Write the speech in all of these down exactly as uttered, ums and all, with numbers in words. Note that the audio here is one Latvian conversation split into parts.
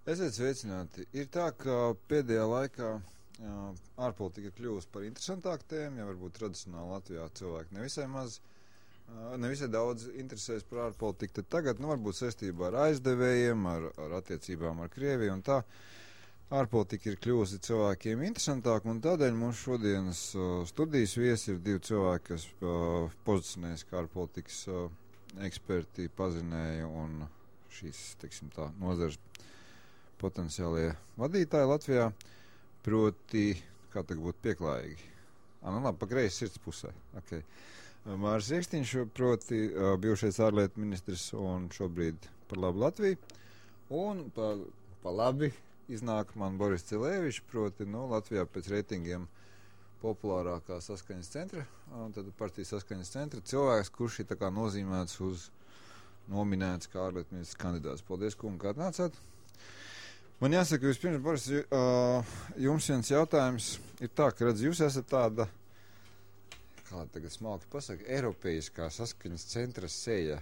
Esiet sveicināti. Ir tā, ka pēdējā laikā jā, ārpolitika ir kļuvusi par interesantāku tēmu, ja varbūt tradicionāli Latvijā cilvēki nevisai maz, nevisai daudz interesēs par ārpolitiku, tad tagad, nu, varbūt saistībā ar aizdevējiem, ar, ar attiecībām ar Krieviju un tā, ārpolitika ir kļuvusi cilvēkiem interesantāka, un tādēļ mums šodienas uh, studijas viesi ir divi cilvēki, kas uh, pozicionējas kā ārpolitikas uh, eksperti, pazinēja un šīs, teiksim tā, nozares potenciālie vadītāji Latvijā, proti, kā tagad būtu pieklājīgi. Ah, nu labi, pa kreisi sirds pusē. Okay. Māris Riekstiņš, proti, uh, bijušais ārlietu ministrs un šobrīd par labu Latviju. Un pa, pa labi iznāk man Boris Cilēvičs, proti, nu, Latvijā pēc reitingiem populārākā saskaņas centra, un tad partijas saskaņas centra cilvēks, kurš ir tā kā nozīmēts uz nominēts kā ārlietu ministrs kandidāts. Paldies, kungi, kā atnācāt. Man jāsaka, vispirms, Boris, jums viens jautājums ir tā, ka, redz, jūs esat tāda, kā tagad smalki pasaka, eiropeiskā saskaņas centra seja,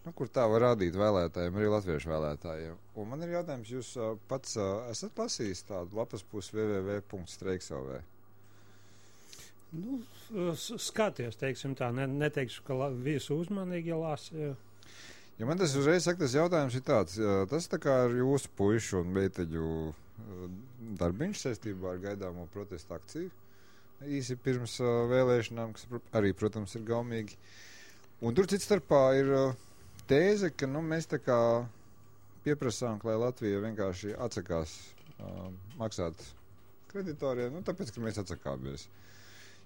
nu, kur tā var rādīt vēlētājiem, arī latviešu vēlētājiem. Un man ir jautājums, jūs pats esat lasījis tādu lapas pusi w w w punkts streiks punkt l v? Nu, skaties, teiksim tā, ne, neteikšu, ka la, visu uzmanīgi lasi. Ja man tas uzreiz saka, tas jautājums ir tāds, tas tā kā ar jūsu puišu un meiteļu darbiņš saistībā ar gaidāmo protestu akciju īsi pirms vēlēšanām, kas arī, protams, ir gaumīgi. Un tur cits starpā ir tēze, ka nu, mēs tā kā pieprasām, lai Latvija vienkārši atsakās uh, maksāt kreditoriem, nu, tāpēc, ka mēs atsakāmies.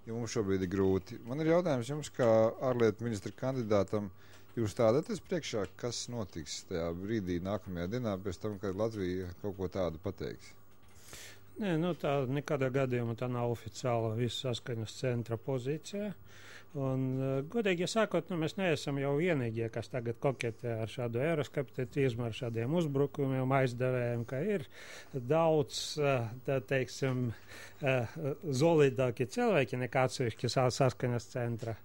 Ja mums šobrīd ir grūti. Man ir jautājums jums, kā ārlietu ministra kandidātam, jūs tādaties priekšā, kas notiks tajā brīdī nākamajā dienā pēc tam, kad Latvija kaut ko tādu pateiks? Nē, nu tā nekādā gadījumā tā nav oficiāla visu saskaņas centra pozīcija. Un, godīgi ja sakot, nu, mēs neesam jau vienīgie, kas tagad koketē ar šādu eiroskepticismu, ar šādiem uzbrukumiem, aizdevējiem, ka ir daudz, tā teiksim, zolīdāki cilvēki nekā atsevišķi saskaņas centra.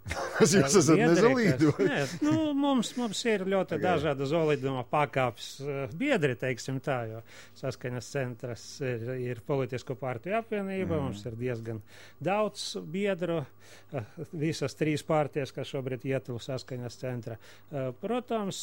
Jūs esat nezolīdi? Nē, nu, mums, mums ir ļoti okay. dažāda zolīduma pakāpes biedri, teiksim tā, jo saskaņas centras ir, ir politisko partiju apvienība, mm. mums ir diezgan daudz biedru, visas trīs partijas, kas šobrīd ietilp saskaņas centra. Protams,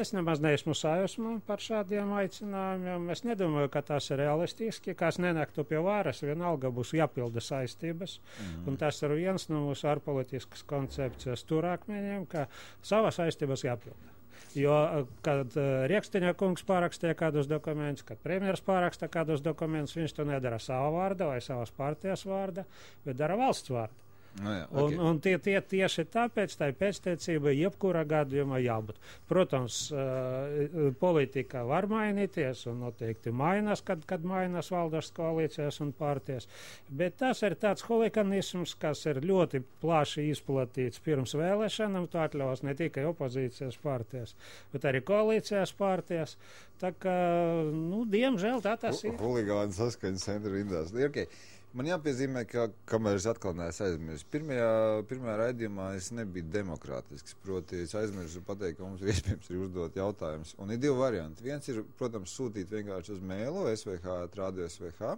es nemaz neesmu sajūsmu par šādiem aicinājumiem. Es nedomāju, ka tas ir realistiski, kas nenāktu pie varas, vienalga būs jāpilda saistības. Mm. Un tas ir viens no mūsu ārpolitiskas koncepcijas turākmeņiem, ka savas saistības jāpilda. Jo, kad uh, Riekstiņa kungs pārakstīja kādus dokumentus, kad premjeras pāraksta kādus dokumentus, viņš to nedara savā vārda vai savas partijas vārda, bet dara valsts vārda. No jā, okay. Un, un tie, tie tieši tāpēc tā pēctecība jebkurā gadījumā jābūt. Protams, uh, politika var mainīties un noteikti mainās, kad, kad mainās valdes koalīcijas un partijas, bet tas ir tāds hulikanisms, kas ir ļoti plaši izplatīts pirms vēlēšanām, to atļaus ne tikai opozīcijas partijas, bet arī koalīcijas partijas. Tā kā, nu, diemžēl tā tas ir. Huligāni saskaņas centra rindās. Okay. Man jāpiezīmē, ka, kamēr es atkal neesmu aizmirsis, pirmajā, pirmajā raidījumā es nebiju demokrātisks, proti es aizmirsu pateikt, ka mums ir iespējams arī uzdot jautājumus. Un ir divi varianti. Viens ir, protams, sūtīt vienkārši uz mailu s v h at radio s v h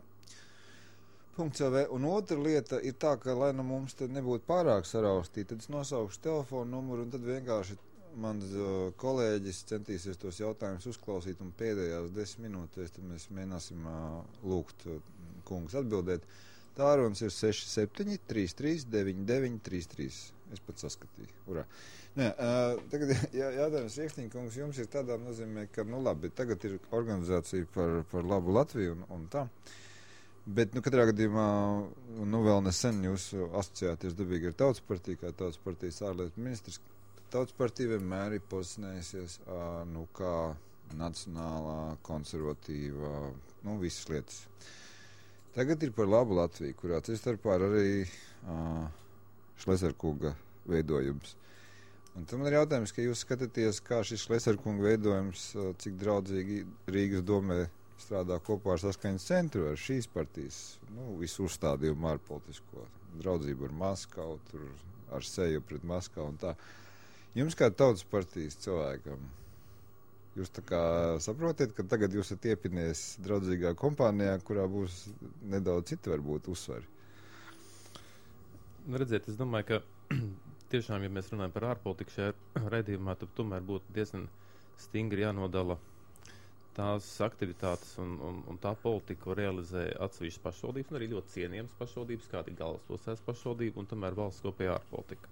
punkts l v, un otra lieta ir tā, ka, lai nu mums tad nebūtu pārāk saraustīt, tad es nosaukšu telefonu numuru, un tad vienkārši mans uh, kolēģis centīsies tos jautājumus uzklausīt, un pēdējās desmit minūtēs tad mēs mēģināsim uh, lūgt uh, kungus atbildēt. Tārunas ir seši septiņi trīs trīs deviņi deviņi trīs trīs. Es pat saskatīju. Urā. Nē, uh, tagad jā, jautājums Riekstiņa kungs, jums ir tādā nozīmē, ka, nu labi, tagad ir organizācija par, par labu Latviju un, un tā. Bet, nu, katrā gadījumā, nu, vēl nesen jūs asociēties dabīgi ar Tautas partiju, kā Tautas partijas ārlietu ministrs. Tautas partija vienmēr ir pozicionējusies, uh, nu, kā nacionālā, konservatīvā, nu, visas lietas. Tagad ir par labu Latviju, kurā cits starpā ir arī uh, Šleserkunga veidojums. Un tam ir jautājums, ka jūs skatāties, kā šis Šleserkunga veidojums, uh, cik draudzīgi Rīgas domē strādā kopā ar saskaņas centru, ar šīs partijas, nu, visu uzstādījumu ārpolitisko, draudzību ar Maskavu, tur ar seju pret Maskavu un tā. Jums kā Tautas partijas cilvēkam, Jūs tā kā saprotiet, ka tagad jūs esat iepinies draudzīgā kompānijā, kurā būs nedaudz citi varbūt uzsvari? Nu, redziet, es domāju, ka tiešām, ja mēs runājam par ārpolitiku šajā raidījumā, tad tomēr būtu diezgan stingri jānodala tās aktivitātes un, un, un tā politika, ko realizē atsevišķas pašvaldības, un arī ļoti cienījams pašvaldības, kāda ir galvaspilsētas pašvaldība, un tomēr valsts kopējā ārpolitika.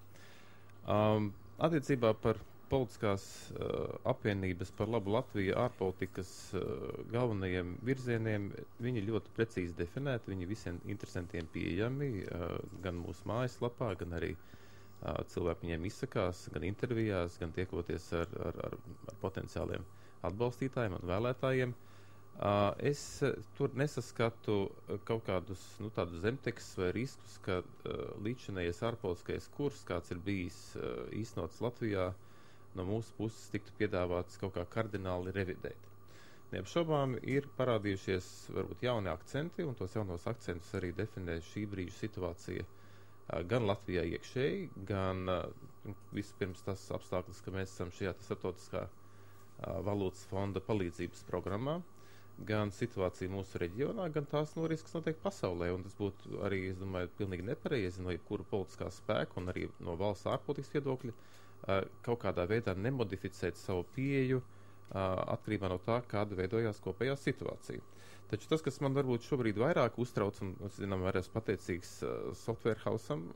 Um, attiecībā par politiskās uh, apvienības par labu Latviju ārpolitikas uh, galvenajiem virzieniem, viņi ļoti precīzi definēti, viņi visiem interesantiem pieejami, uh, gan mūsu mājaslapā, gan arī uh, cilvēki viņiem izsakās, gan intervijās, gan tiekoties ar, ar, ar, ar potenciāliem atbalstītājiem un vēlētājiem. Uh, es uh, tur nesaskatu uh, kaut kādus nu, tādus zemtekstus vai riskus, ka uh, līdzinējies ārpolitiskais kurs, kāds ir bijis uh, īstenots Latvijā, no mūsu puses tiktu piedāvāts kaut kā kardināli revidēt. Neapšaubām ir parādījušies varbūt jauni akcenti, un tos jaunos akcentus arī definē šī brīža situācija uh, gan Latvijā iekšēji, gan uh, vispirms tas apstākļus, ka mēs esam šajā starptautiskā valūtas fonda palīdzības programmā, gan situācija mūsu reģionā, gan tās no risks notiek pasaulē, un tas būtu arī, es domāju, pilnīgi nepareizi no jebkura politiskā spēka un arī no valsts ārpolitikas viedokļa kaut kādā veidā nemodificēt savu pieeju atkarībā no tā, kāda veidojās kopējā situācija. Taču tas, kas man varbūt šobrīd vairāk uztrauc, un, zinām, arī esmu pateicīgs Software Hausam,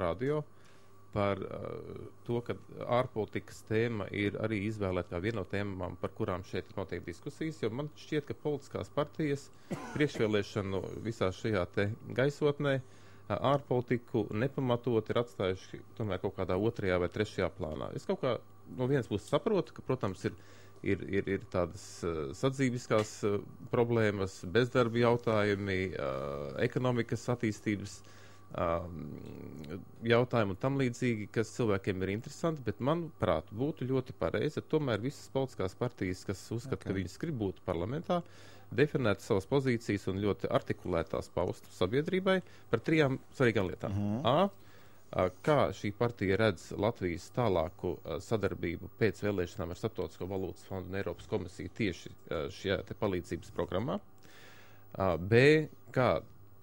radio, par uh, to, ka ārpolitikas tēma ir arī izvēlēta kā viena no tēmām, par kurām šeit notiek diskusijas, jo man šķiet, ka politiskās partijas priekšvēlēšanu visā šajā te gaisotnē uh, ārpolitiku nepamatot ir atstājuši tomēr kaut kādā otrajā vai trešajā plānā. Es kaut kā no vienas puses saprotu, ka, protams, ir, ir, ir, ir tādas uh, sadzīviskās uh, problēmas, bezdarba jautājumi, uh, ekonomikas attīstības jautājumu un tam līdzīgi, kas cilvēkiem ir interesanti, bet manuprāt būtu ļoti pareizi, tomēr visas politiskās partijas, kas uzskata, okay. ka viņas grib būt parlamentā, definēt savas pozīcijas un ļoti artikulētās paustu sabiedrībai par trijām svarīgām lietām. Uh-huh. A, kā šī partija redz Latvijas tālāku sadarbību pēc vēlēšanām ar Starptautisko valūtas fondu un Eiropas komisiju tieši šajā te palīdzības programmā. A, B, kā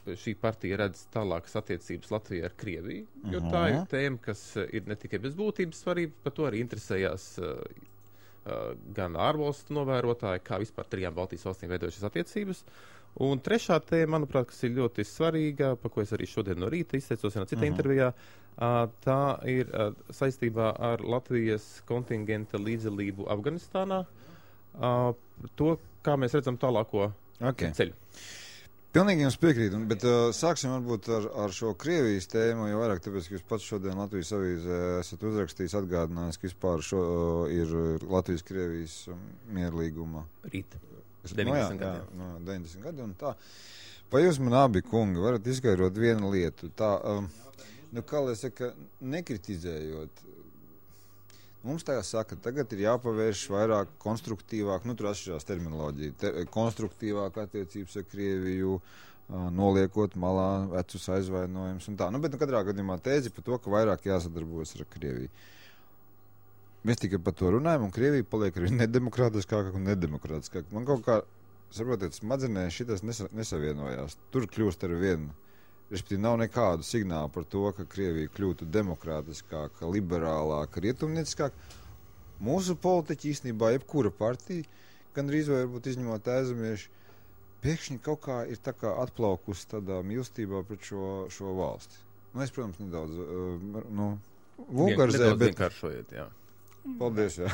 šī partija redz tālākas attiecības Latvijā ar Krieviju, jo uh-huh. tā ir tēma, kas ir ne tikai bez būtības svarība, par to arī interesējās uh, uh, gan ārvalstu novērotāji, kā vispār trijām Baltijas valstīm veidojušas attiecības. Un trešā tēma, manuprāt, kas ir ļoti svarīga, par ko es arī šodien no rīta izteicos vienā citā uh-huh. intervijā, uh, tā ir uh, saistībā ar Latvijas kontingenta līdzdalību Afganistānā, uh, to, kā mēs redzam tālāko okay. ceļu. Pilnīgi jums piekrīt, bet uh, sāksim varbūt ar, ar šo Krievijas tēmu, jo vairāk tāpēc, ka jūs pats šodien Latvijas avīzē esat uzrakstījis, atgādinājis, ka vispār šo uh, ir Latvijas-Krievijas um, mierlīguma. Rīt. deviņdesmit gadi. Jā, no deviņdesmit gadi un tā. Vai jūs man abi kungi varat izskaidrot vienu lietu? Tā, um, nu kā lai saka, nekritizējot. Mums tā saka, tagad ir jāpavērš vairāk konstruktīvāk, nu tur atšķirās terminoloģija, te, konstruktīvāk attiecības ar Krieviju, uh, noliekot malā vecus aizvainojumus un tā. Nu, bet nu, katrā gadījumā tēzi par to, ka vairāk jāsadarbojas ar Krieviju. Mēs tikai par to runājam, un Krievija paliek arī nedemokrātiskāk un nedemokrātiskāk. Man kaut kā, saprotiet, smadzenē šitas nesa, nesavienojās. Tur kļūst ar vienu. Respektīvi, nav nekādu signālu par to, ka Krievija kļūtu demokrātiskāka, liberālāka, rietumnieciskāka. Mūsu politiķi īstenībā, jebkura partija, gandrīz vai varbūt izņemot aizemieši, pēkšņi kaut kā ir tā kā atplaukusi tādā mīlestībā pret šo, šo valsti. Nu, es, protams, nedaudz, uh, nu, vulgarizēju, bet... vienkāršojiet, jā. Paldies, jā.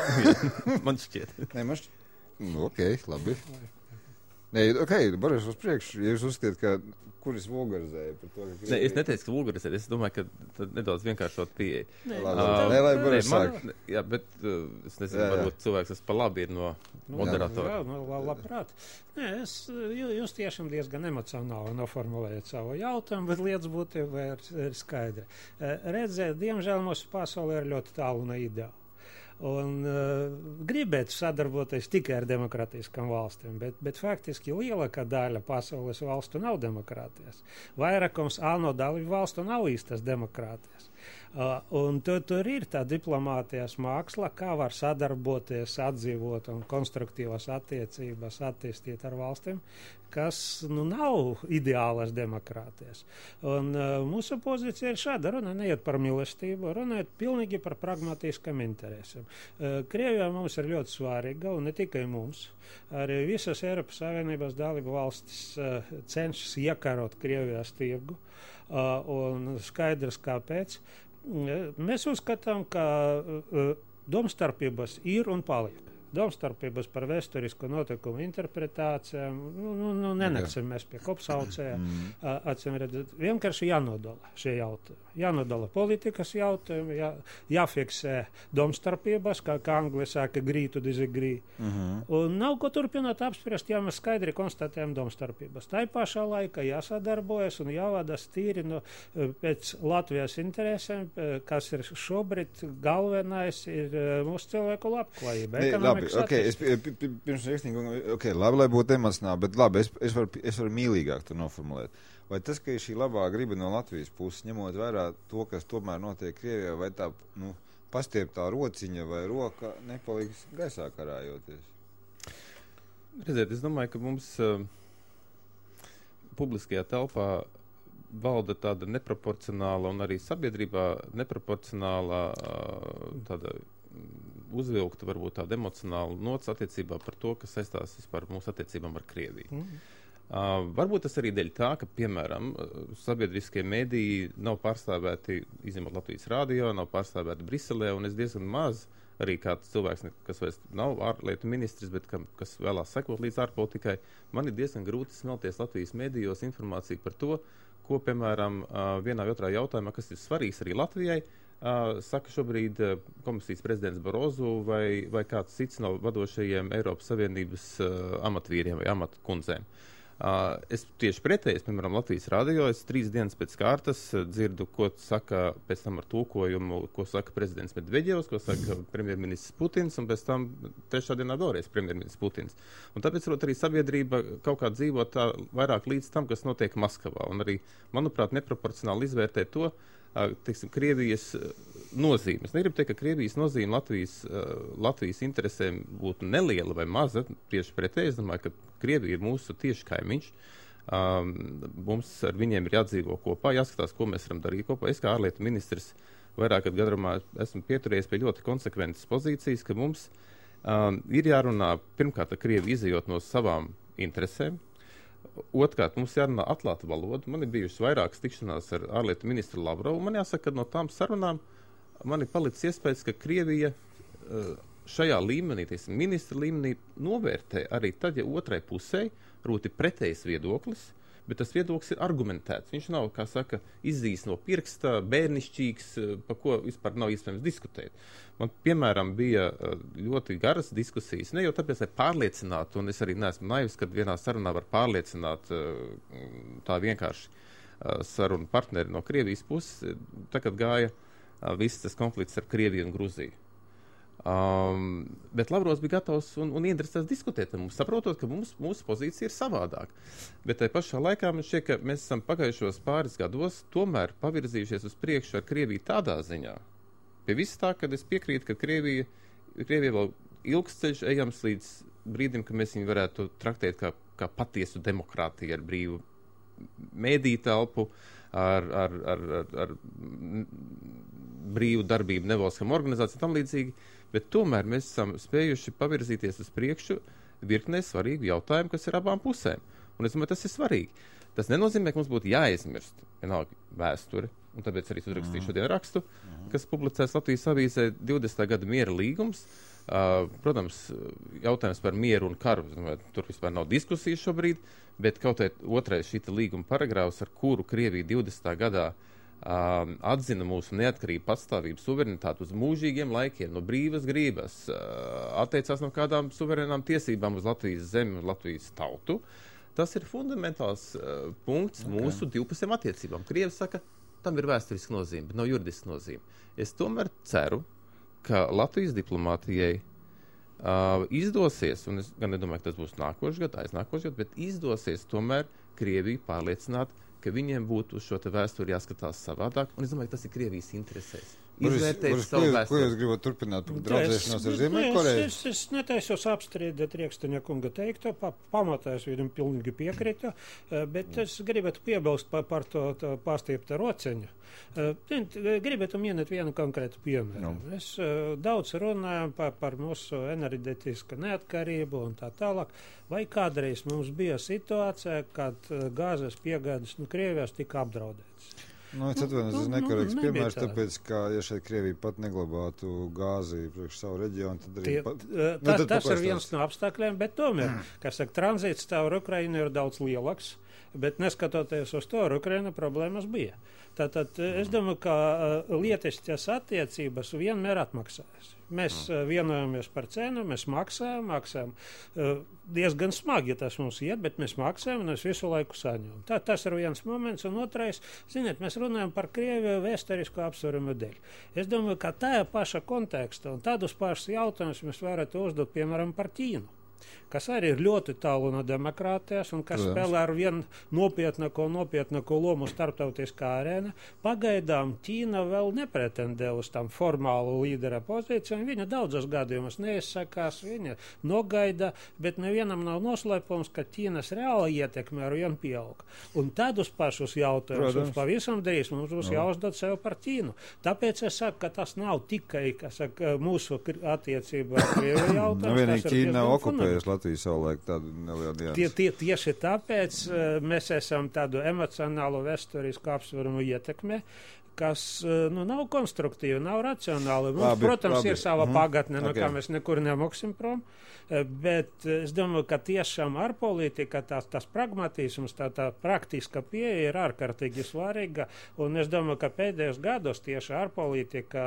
Man šķiet. Nē, man šķiet. Nu, ok, labi. Nē, ok, Boris, uz priekšu, ja jūs uzskatiet, ka kur es vulgarizēju par to, ka... Nē, es neteicu, ka vulgarizēju, es domāju, ka tad nedaudz vienkāršot pieeja. Nē, uh, lai Boris sāk. Jā, bet uh, es nezinu, jā, jā. varbūt cilvēks, kas pa labi ir no moderatora. Jā, jā, labprāt. Nē, es, jūs tiešām diezgan emocionāli noformulējat savu jautājumu, bet lietas būtībā ir, ir skaidra. Redzēt, diemžēl mūsu pasaulē ir ļoti tālu no ideāla. un uh, gribētu sadarboties tikai ar demokrātiskām valstīm, bet, bet faktiski lielākā daļa pasaules valstu nav demokrātijas. Vairākums ANO dalību valstu nav īstas demokrātijas. Uh, un tu, tur ir tā diplomātijas māksla, kā var sadarboties, atdzīvot un konstruktīvas attiecības attīstīt ar valstīm, kas nu, nav ideālas demokrātijas. Un uh, mūsu pozīcija ir šāda, runa neiet par mīlestību, runa ir pilnīgi par pragmatiskam interesam. Uh, Krievijā mums ir ļoti svarīga, un ne tikai mums, arī visas Eiropas Savienības dalību valstis uh, cenšas iekarot Krievijas tirgu, uh, un skaidrs kāpēc. Mēs uzskatām, ka uh, domstarpības ir un paliek. Domstarpības par vēsturisku notikumu interpretācijām, nu, nu, nu nenāksim mēs pie kopsaucējiem, mm. acīm redzēt, vienkārši jānodala šie jautājumi. Jānodala politikas jautājumi, jā, jāfiksē domstarpības, kā, kā angli saka, agree to disagree. Mm-hmm. Un nav ko turpināt apspriest, ja mēs skaidri konstatējam domstarpības. Tā pašā laikā jāsadarbojas un jāvadas tīri no, pēc Latvijas interesēm, kas ir šobrīd galvenais, ir mūsu cilvēku labklājība. Labi, okay, es pirms rakstīgi, okay, labi, lai būtu emocionāli, bet labi, es, es, varu, es varu mīlīgāk to noformulēt. Vai tas, ka ir šī labā griba no Latvijas puses, ņemot vērā to, kas tomēr notiek Krievijā, vai tā, nu, pastieptā rociņa vai roka nepaliks gaisā karājoties? Redziet, es domāju, ka mums uh, publiskajā telpā valda tāda neproporcionāla un arī sabiedrībā neproporcionāla uh, tāda uzvilkta varbūt tāda emocionāla nots attiecībā par to, kas saistās vispār mūsu attiecībām ar Krieviju. Mm. Uh, varbūt tas arī dēļ tā, ka, piemēram, sabiedriskie mediji nav pārstāvēti, izņemot Latvijas rādio, nav pārstāvēti Briselē, un es diezgan maz arī kāds cilvēks, kas vairs nav ārlietu ministrs, bet kam, kas vēlās sekot līdz ārpolitikai, man ir diezgan grūti smelties Latvijas medijos informāciju par to, ko, piemēram, uh, vienā vai otrā jautājumā, kas ir svarīgs arī Latvijai, Uh, saka šobrīd uh, komisijas prezidents Barozu vai, vai kāds cits no vadošajiem Eiropas Savienības uh, amatvīriem vai amatkundzēm. Uh, es tieši pretēji, piemēram, Latvijas radio, es trīs dienas pēc kārtas uh, dzirdu, ko saka pēc tam ar tulkojumu, ko saka prezidents Medveģevs, ko saka premjerministrs Putins, un pēc tam trešā dienā vēlreiz premjerministrs Putins. Un tāpēc, rot, arī sabiedrība kaut kā dzīvo tā vairāk līdz tam, kas notiek Maskavā. Un arī, manuprāt, neproporcionāli izvērtē to, teiksim, Krievijas nozīme. Es negribu teikt, ka Krievijas nozīme Latvijas, Latvijas interesēm būtu neliela vai maza. Tieši pretēji, es domāju, ka Krievija ir mūsu tieši kaimiņš. Um, mums ar viņiem ir jādzīvo kopā, jāskatās, ko mēs varam darīt kopā. Es kā ārlietu ministrs vairāk gadu garumā esmu pieturējies pie ļoti konsekventas pozīcijas, ka mums um, ir jārunā pirmkārt ar Krieviju izejot no savām interesēm. Otrkārt, mums jārunā atklāta valoda. Man ir bijušas vairākas tikšanās ar ārlietu ministru Lavrovu. Man jāsaka, ka no tām sarunām man ir palicis iespējas, ka Krievija šajā līmenī, tiesim, ministra līmenī, novērtē arī tad, ja otrai pusē rūti pretējs viedoklis, bet tas viedoklis ir argumentēts. Viņš nav, kā saka, izzīs no pirksta, bērnišķīgs, pa ko vispār nav iespējams diskutēt. Man, piemēram, bija ļoti garas diskusijas, ne jau tāpēc, lai pārliecinātu, un es arī neesmu naivs, kad vienā sarunā var pārliecināt tā vienkārši sarunu partneri no Krievijas puses, tā, kad gāja viss tas konflikts ar Krieviju un Gruziju. Um, bet Lavrovs bija gatavs un, un ieinteresēts diskutēt ar mums, saprotot, ka mums, mūsu pozīcija ir savādāk. Bet tai pašā laikā man šķiet, ka mēs esam pagājušos pāris gados tomēr pavirzījušies uz priekšu ar Krieviju tādā ziņā. Pie viss tā, kad es piekrītu, ka Krievija, Krievija vēl ilgs ceļš ejams līdz brīdim, ka mēs viņu varētu traktēt kā, kā patiesu demokrātiju ar brīvu mēdīju telpu, ar, ar, ar, ar, ar brīvu darbību nevalstiskām organizācijām tam līdzīgi. Bet tomēr mēs esam spējuši pavirzīties uz priekšu virknē svarīgu jautājumu, kas ir abām pusēm. Un es domāju, tas ir svarīgi. Tas nenozīmē, ka mums būtu jāaizmirst vienalga vēsture, un tāpēc arī uzrakstīju šodien rakstu, kas publicēs Latvijas avīzē divdesmitā gada miera līgums. Uh, protams, jautājums par mieru un karu, domāju, tur vispār nav diskusijas šobrīd, bet kaut kā otrais šīta līguma paragrāfs, ar kuru Krievija divdesmitā gadā Uh, atzina mūsu neatkarību, patstāvību, suverenitāti uz mūžīgiem laikiem, no brīvas grības, uh, atteicās no kādām suverenām tiesībām uz Latvijas zemi un Latvijas tautu. Tas ir fundamentāls uh, punkts okay. mūsu divpusējām attiecībām. Krievi saka, tam ir vēsturiska nozīme, bet nav juridiska nozīme. Es tomēr ceru, ka Latvijas diplomātijai uh, izdosies, un es gan nedomāju, ka tas būs nākošais gads, aiznākošais gads, bet izdosies tomēr Krieviju pārliecināt, ka viņiem būtu uz šo te vēsturi jāskatās savādāk, un es domāju, ka tas ir Krievijas interesēs. Izvērtēt Boris, savu ko, vēsturi. ko jūs gribat turpināt par draudzēšanos ar Ziemeļkoreju? Es, es, es netaisos apstrīdēt Rieksteņa kunga teikto, pa, pamatā es viņam pilnīgi piekrītu, bet es gribētu piebilst par, par to, to pārstiepta roceņu. Gribētu minēt vienu konkrētu piemēru. No. Mēs daudz runājam par, par mūsu enerģetisku neatkarību un tā tālāk. Vai kādreiz mums bija situācija, kad gāzes piegādes no Krievijas tika apdraudētas? Nu, es atvainojos, tas nu, nekorekts nu, piemērs, tā. tāpēc, ka, ja šeit Krievija pat neglabātu gāzi priekš savu reģionu, tad arī... Tie, pat, tā, nu, tad tas ir viens no apstākļiem, bet tomēr, kā saka, tranzīts caur Ukrainu ir daudz lielāks, bet neskatoties uz to, ar Ukrainu problēmas bija. Tātad es domāju, ka lietiskas attiecības vienmēr atmaksājas. Mēs uh, vienojamies par cenu, mēs maksājam, maksājam. Uh, diezgan smagi tas mums iet, bet mēs maksājam un mēs visu laiku saņemam. Tā, tas ir viens moments, un otrais, ziniet, mēs runājam par Krieviju vēsturisku apsvērumu dēļ. Es domāju, ka tajā paša kontekstā un tādus pašus jautājumus mēs varētu uzdot, piemēram, par Ķīnu, kas arī ir ļoti tālu no demokrātijas un kas Protams. spēlē ar vienu nopietnāko, nopietnāko lomu starptautiskā arēna. Pagaidām Ķīna vēl nepretendē uz tam formālu līdera pozīciju, un viņa daudzos gadījumos neizsakās, viņa nogaida, bet nevienam nav noslēpums, ka Ķīnas reāla ietekme ar vienu pieaug. Un tādus pašus jautājumus mums pavisam drīz mums būs no. jāuzdod sev par Ķīnu. Tāpēc es saku, ka tas nav tikai, kas saka, mūsu attiecība ar Krieviju jautājums. Nu, vienīgi Ķīna nav okupējusi Latviju savulaik tādu nelielu dienu. Tie, tie, tieši tāpēc uh, mēs esam tādu emocionālu vēsturisku apsvērumu ietekmē, kas uh, nu, nav konstruktīvi, nav racionāli. Mums, labi, protams, labi. ir sava mm. pagatne, no okay. kā mēs nekur nemoksim prom. Bet es domāju, ka tiešām ārpolitika, tās, tās pragmatisms, tā, tā praktiska pieeja ir ārkārtīgi svarīga, un es domāju, ka pēdējos gados tieši ārpolitika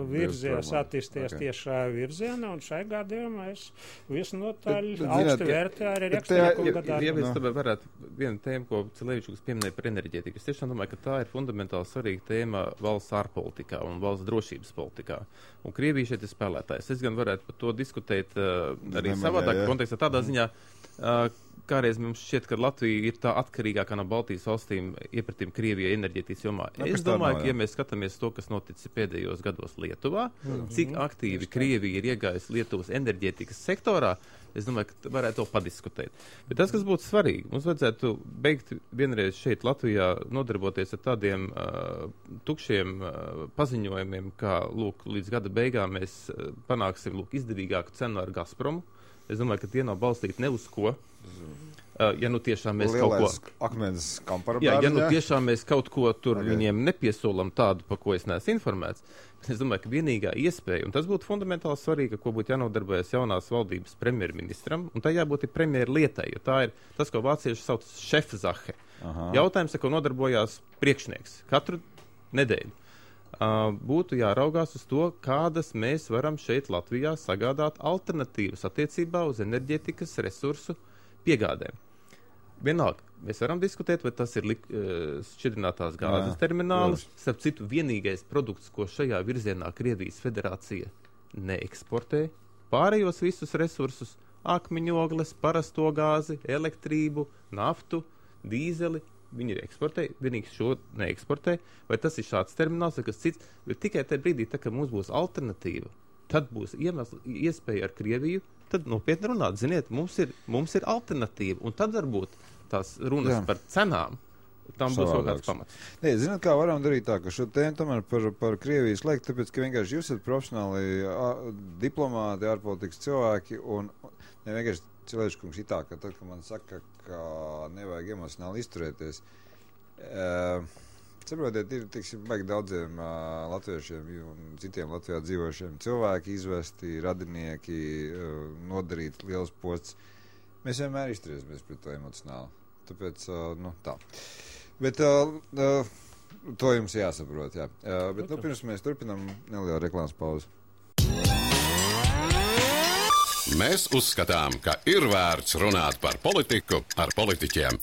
virzies, attīsties okay. tieši šajā virzienā, un šai gadījumā es visnotaļ augstu vērtēju arī Rieksteņa kunga darbu. Ja mēs tomēr varētu vienu tēmu, ko Cilevičs pieminēja par enerģētiku, es tiešām domāju, ka tā ir fundamentāli svarīga tēma valsts ārpolitikā un valsts drošības politikā. Un Krievija šeit ir spēlētājs. Es gan varētu par to diskutēt uh, arī savādāk kontekstā, tādā ziņā, uh, kāreiz mums šķiet, ka Latvija ir tā atkarīgākā no Baltijas valstīm iepratīm Krievijai enerģētikas jomā. Ja, es domāju, nav, ka, ja mēs skatāmies to, kas noticis pēdējos gados Lietuvā, mm-hmm. cik aktīvi Krievija ir iegājusi Lietuvas enerģētikas sektorā, es domāju, ka varētu to padiskutēt. Bet tas, kas būtu svarīgi, mums vajadzētu beigt vienreiz šeit Latvijā nodarboties ar tādiem uh, tukšiem uh, paziņojumiem, kā, lūk, līdz gada beigām mēs uh, panāksim, lūk, izdevīgāku cenu ar Gazpromu. Es domāju, ka tie nav balstīti ne uz ko. Uh, ja nu tiešām mēs Lielais kaut ko... akmens kamparabērni, jā, ja nu tiešām mēs kaut ko tur okay. viņiem nepiesolam tādu, pa ko es neesmu informēts, es domāju, ka vienīgā iespēja, un tas būtu fundamentāli svarīgi, ko būtu jānodarbojas jaunās valdības premjerministram, un tā jābūt ir premjeru lietai, jo tā ir tas, ko vācieši sauc šefzahe. Jautājums, ar ko nodarbojās priekšnieks katru nedēļu. Uh, būtu jāraugās uz to, kādas mēs varam šeit Latvijā sagādāt alternatīvas attiecībā uz enerģētikas resursu piegādēm. Vienalga, mēs varam diskutēt, vai tas ir lik, šķidrinātās gāzes Jā, terminālis. Starp citu, vienīgais produkts, ko šajā virzienā Krievijas federācija neeksportē, pārējos visus resursus, akmeņogles, parasto gāzi, elektrību, naftu, dīzeli, viņi eksportē, vienīgi šo neeksportē, vai tas ir šāds termināls, vai kas cits, bet tikai tajā brīdī, tā, ka mums būs alternatīva, tad būs iemesl, iespēja ar Krieviju, tad nopietni runāt, ziniet, mums ir, mums ir alternatīva, un tad varbūt tās runas Jā. par cenām, tam būs kaut kāds pamats. Nē, zināt, kā varam darīt tā, ka šo tēmu tomēr par, par Krievijas laiku, tāpēc, ka vienkārši jūs esat profesionāli a, diplomāti, ārpolitikas cilvēki, un ne vienkārši Cilevičs ir tā, ka tad, kad man saka, ka nevajag emocionāli izturēties, uh, saprotiet, ir, tiksim, baigi daudziem uh, latviešiem un citiem Latvijā dzīvošiem cilvēki izvesti, radinieki, uh, nodarīt liels posts. Mēs vienmēr izturēsimies pret to emocionāli. Tāpēc, uh, nu, tā. Bet uh, uh, to jums jāsaprot, jā. Uh, bet, nu, pirms mēs turpinām nelielu reklāmas pauzi. Mēs uzskatām, ka ir vērts runāt par politiku ar politiķiem.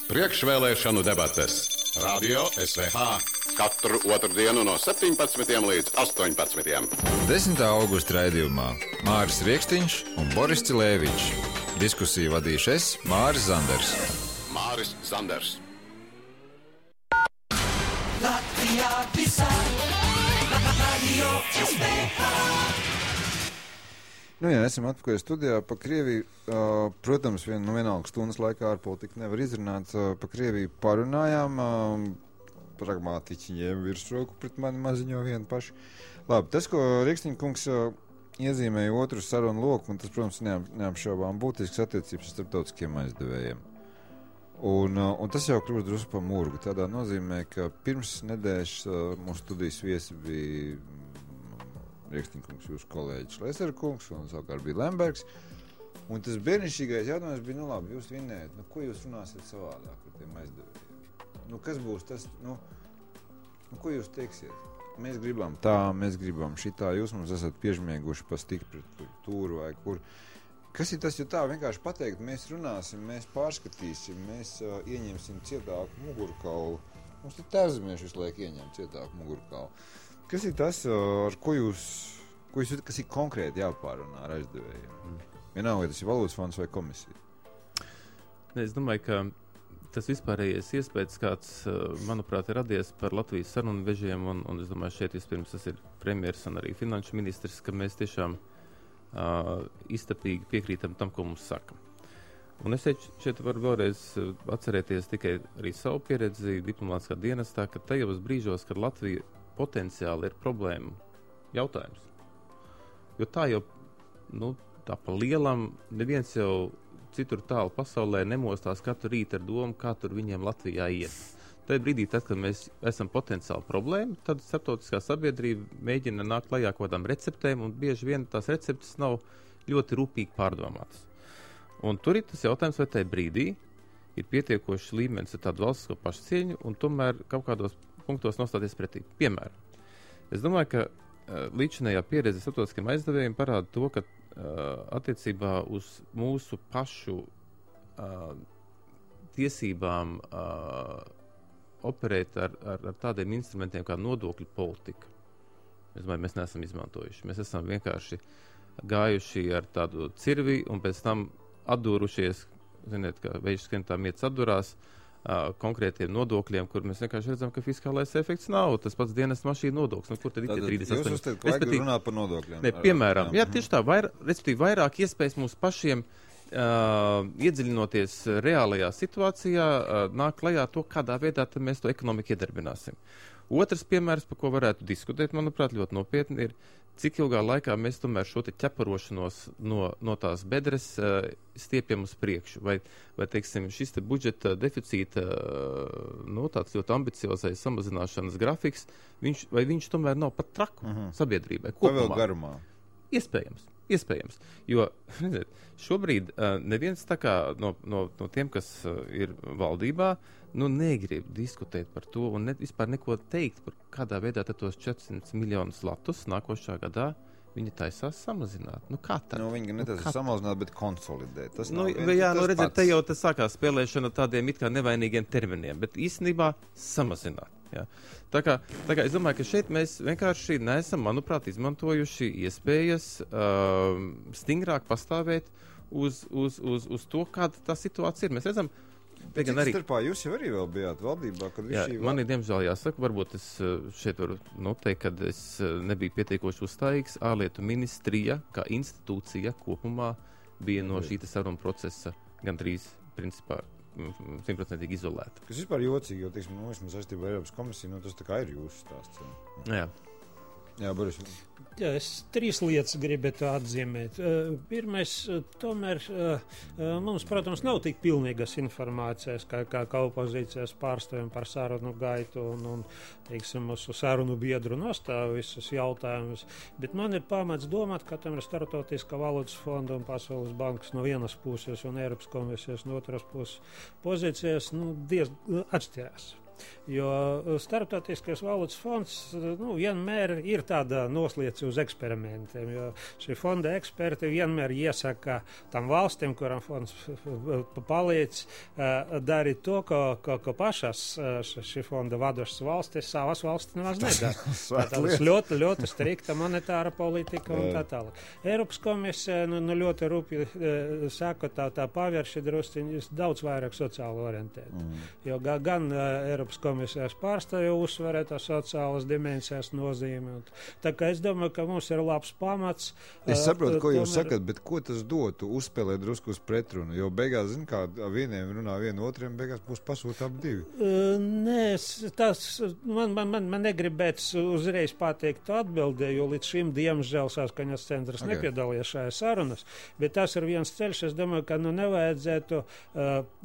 Priekšvēlēšanu debates. Radio S V H. Katru otrdienu no septiņpadsmitiem līdz astoņpadsmitiem. desmitā augusta raidījumā Māris Riekstiņš un Boris Cilēvičs. Diskusiju vadīšu es, Māris Zanders. Māris Zanders. Latvijā visā, Radio S V H. Nu jā, esam atpakaļ studijā pa Krieviju. Uh, protams, vien, nu vienalga stundas laikā ārpolitika nevar izrunāt. Uh, pa Krieviju parunājām. Uh, pragmātiķi ņēma virsroku pret mani maziņo vienu pašu. Labi, tas, ko Riekstiņa kungs uh, iezīmēja otru sarunu loku, un tas, protams, neap, neapšaubām būtisks attiecības ar starptautiskiem aizdevējiem. Un, uh, un tas jau kļūst drusku pa murgu. Tādā nozīmē, ka pirms nedēļas uh, mūsu studijas viesi bija Riekstiņa kungs, jūsu kolēģis Lesera kungs, un savukārt bija Lembergs. Un tas bērnišķīgais jautājums bija, nu labi, jūs vinējat, nu ko jūs runāsiet savādāk ar tiem aizdevējiem? Nu kas būs tas, nu, nu ko jūs teiksiet? Mēs gribam tā, mēs gribam šitā, jūs mums esat piežmieguši pa stipri tūru vai kur. Kas ir tas, jo tā vienkārši pateikt, mēs runāsim, mēs pārskatīsim, mēs uh, ieņemsim cietāku mugurkaulu. Mums ir tērzemieši visu laiku ieņem cietāku mugurkaulu. Kas ir tas, ar ko jūs, ko jūs kas ir konkrēti jāpārunā ar aizdevējiem? Mm. Vienalga, vai tas ir valūtas fonds vai komisija? Es domāju, ka tas vispārējais iespējas, kāds, manuprāt, ir radies par Latvijas sarunu vežiem, un, un es domāju, šeit vispirms tas ir premjers un arī finanšu ministrs, ka mēs tiešām uh, iztapīgi piekrītam tam, ko mums saka. Un es šeit, šeit varu vēlreiz atcerēties tikai arī savu pieredzi diplomātiskā dienestā, ka tajos brīžos, kad Latvija potenciāli ir problēma jautājums. Jo tā jau, nu, tā pa lielam, neviens jau citur tālu pasaulē nemostās katru rītu ar domu, kā tur viņiem Latvijā iet. Tajā brīdī, tad, kad mēs esam potenciāli problēma, tad starptautiskā sabiedrība mēģina nākt klajā kaut kādām receptēm, un bieži vien tās receptes nav ļoti rūpīgi pārdomātas. Un tur ir tas jautājums, vai tajā brīdī ir pietiekošs līmenis ar tādu valstisko pašcieņu, un tomēr kaut kādos punktos nostāties pretī. Piemēram, es domāju, ka uh, līdzinējā pieredze starptautiskiem aizdevējiem parāda to, ka uh, attiecībā uz mūsu pašu uh, tiesībām uh, operēt ar, ar, ar tādiem instrumentiem kā nodokļu politika. Es domāju, mēs neesam izmantojuši. Mēs esam vienkārši gājuši ar tādu cirvi un pēc tam atdūrušies, ziniet, kā veids skrien tā mietas atdurās, Uh, konkrētiem nodokļiem, kur mēs vienkārši redzam, ka fiskālais efekts nav. Tas pats dienas mašīna nodoklis. Nu, kur tad ir trīsdesmit astoņi? Jūs uzstat, ka vajag runāt par nodokļiem. Ne, piemēram, jā, tieši tā, vair, respektīvi vairāk iespējas mums pašiem uh, iedziļinoties reālajā situācijā, uh, nāk klajā to, kādā veidā tad mēs to ekonomiku iedarbināsim. Otrs piemērs, par ko varētu diskutēt, manuprāt, ļoti nopietni ir, cik ilgā laikā mēs tomēr šo te ķeparošanos no, no tās bedres uh, stiepjam uz priekšu. Vai, vai teiksim, šis te budžeta deficīta, uh, nu, tāds ļoti ambiciozais samazināšanas grafiks, viņš, vai viņš tomēr nav pat traku uh-huh. sabiedrībai kopumā? Vai vēl garumā? Iespējams. Iespējams, jo redziet, šobrīd uh, neviens tā kā no, no, no tiem, kas uh, ir valdībā, nu negrib diskutēt par to un ne, vispār neko teikt par kādā veidā tos četrsimt miljonus latus nākošā gadā viņi taisās samazināt. Nu kā tad? Nu, viņi netaisās nu, samazināt, bet konsolidēt. Tas nu, viens, jā, tas nu redziet, pats. te jau tas sākās spēlēšana tādiem it kā nevainīgiem terminiem, bet īstenībā samazināt. Jā. Tā kā, tā kā es domāju, ka šeit mēs vienkārši neesam, manuprāt, izmantojuši iespējas uh, stingrāk pastāvēt uz, uz, uz, uz to, kāda tā situācija ir. Mēs redzam, Bet cik arī... starpā jūs jau arī vēl bijāt valdībā, kad jā, šī... Man ir diemžēl jāsaka, varbūt es šeit varu noteikt, kad es nebiju pietiekoši uzstājīgs. Ārlietu ministrija, kā institūcija kopumā, bija no šī saruna procesa gandrīz principā simtprocentīgi izolēta. Kas vispār jocīgi, jo, teiksim, nu, vismaz saistībā ar Eiropas komisiju, nu, tas tā kā ir jūsu stāsts. Jā. Jā, Boris. Jā, es trīs lietas gribētu atzīmēt. Uh, pirmais, uh, tomēr uh, mums, protams, nav tik pilnīgas informācijas, kā, kā, kā opozīcijas pārstāvjiem par sarunu gaitu un, un teiksim, mūsu sarunu biedru nostāvu visus jautājumus. Bet man ir pamats domāt, ka tam ir Startautiskā valūtas fonda un Pasaules bankas no vienas puses un Eiropas komisijas no otras puses pozīcijas nu, diezgan atšķirās. Jo Starptautiskais valūtas fonds nu, vienmēr ir tāda noslieca uz eksperimentiem, jo šī fonda eksperti vienmēr iesaka tam valstīm, kuram fonds palīdz uh, darīt to, ko, ko, ko pašas uh, šī fonda vadošas valstis savas valstis nemaz nedara. Tas ļoti, ļoti strikta monetāra politika un tā tālāk. Eiropas komisija nu, nu ļoti rūpīgi uh, saka, tā, tā pavērši drusciņi daudz vairāk sociāli orientēta. Mm. Jo ga, gan uh, Eiropas komisijas pārstāvju uzsvarē tā sociālas dimensijas nozīme. Un, tā kā es domāju, ka mums ir labs pamats. Es saprotu, ko jūs sakat, bet ko tas dotu uzspēlēt drusku uz pretrunu? Jo beigās, zin kā, vieniem runā vienu otriem, beigās būs pasūtām divi. Uh, nē, tas man, man, man, man negribēts uzreiz pateikt atbildē, jo līdz šim, diemžēl, saskaņas centrs okay. nepiedalīja šajā sarunas, bet tas ir viens ceļš. Es domāju, ka nu nevajadzētu uh,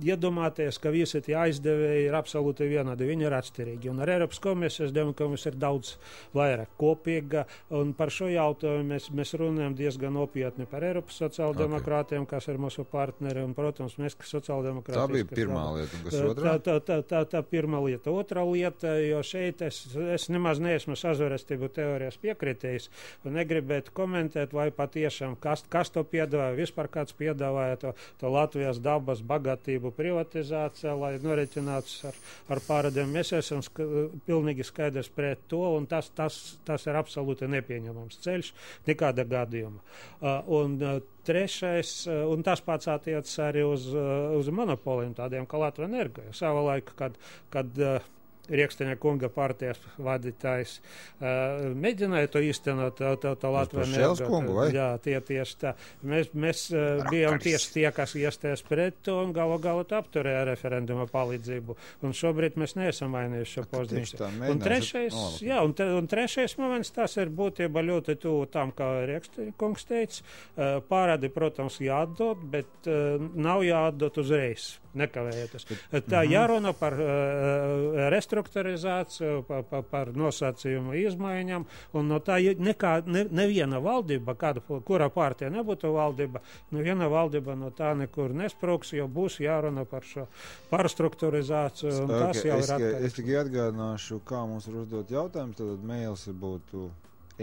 iedomāties, ka visi tie aizdevēji ir absolūti vienādi. Viņi ir atšķirīgi. Un ar Eiropas komisiju, es domāju, ka mums ir daudz vairāk kopīga, un par šo jautājumu mēs, mēs runājam diezgan nopietni par Eiropas sociāldemokrātiem, okay. kas ir mūsu partneri, un, protams, mēs, kas sociāldemokrātiem. Tā bija pirmā tā, lieta, un kas otrā? Tā, tā, tā, tā, tā pirmā lieta. Otra lieta, jo šeit es, es nemaz neesmu sazvērestību teorijas piekritējis, un negribētu komentēt, vai patiešām, kas, kas to piedāvāja, vispār kāds piedāvāja to, to Latvijas dabas bagātību privatizāciju, lai noreķināts ar, ar pārādiem. Mēs esam sk pilnīgi skaidrs pret to, un tas, tas, tas ir absolūti nepieņemams ceļš, nekāda gadījuma. Uh, un uh, trešais, uh, un tas pats attiecas arī uz, uh, uz monopoliem tādiem kā Latvijas Energo. Savā laikā, kad, kad uh, Rieksteņa kunga partijas vadītājs uh, mēģināja to īstenot, to, to, to Latvijas Energo. Jā, tie tieši tā. Mēs, mēs uh, bijām tieši tie, kas iestājas pret to un galu galu apturēja referenduma palīdzību. Un šobrīd mēs neesam mainījuši šo pozīciju. Un trešais, no, jā, un, tre, un trešais moments, tas ir būtība ļoti tuvu tam, kā Rieksteņa kungs teica. Uh, pārādi, protams, jāatdod, bet uh, nav jāatdod uzreiz. Nekavējoties. Tā jārunā par uh, restruktūrizāciju, par, par, par nosacījumu izmaiņām, un no tā nekā, ne, neviena valdība, kāda, kurā partija nebūtu valdība, neviena valdība no tā nekur nesprūks, jo būs jārunā par šo pārstruktūrizāciju, un okay, tas jau es, ir atkarīgs. Es tikai atgādināšu, kā mums ir uzdot jautājumus, tad mails būtu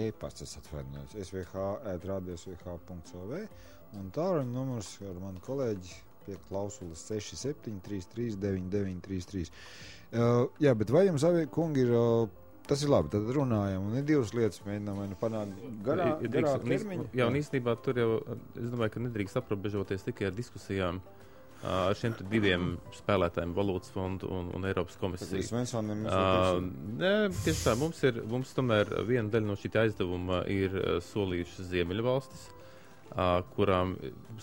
e-pasts, es atvainojos, s v h at radio s v h punkt o v, un tālruņa numurs ar manu kolēģi pie klausulas seši septiņi trīs trīs deviņi deviņi trīs trīs. Uh, jā, bet vai jums, abi kungi, ir, uh, tas ir labi, tad runājam, un ir divas lietas, mēģinām, vai nu panākt garā, ir, ir garā drīkst, termiņu. Jā, un īstenībā tur jau, es domāju, ka nedrīkst aprobežoties tikai ar diskusijām uh, ar šiem diviem spēlētājiem, Valūtas fondu un, un Eiropas komisiju. Uh, ne, tieši tā, mums ir, mums tomēr viena daļa no šī aizdevuma ir uh, solījušas Ziemeļvalstis, Uh, kurām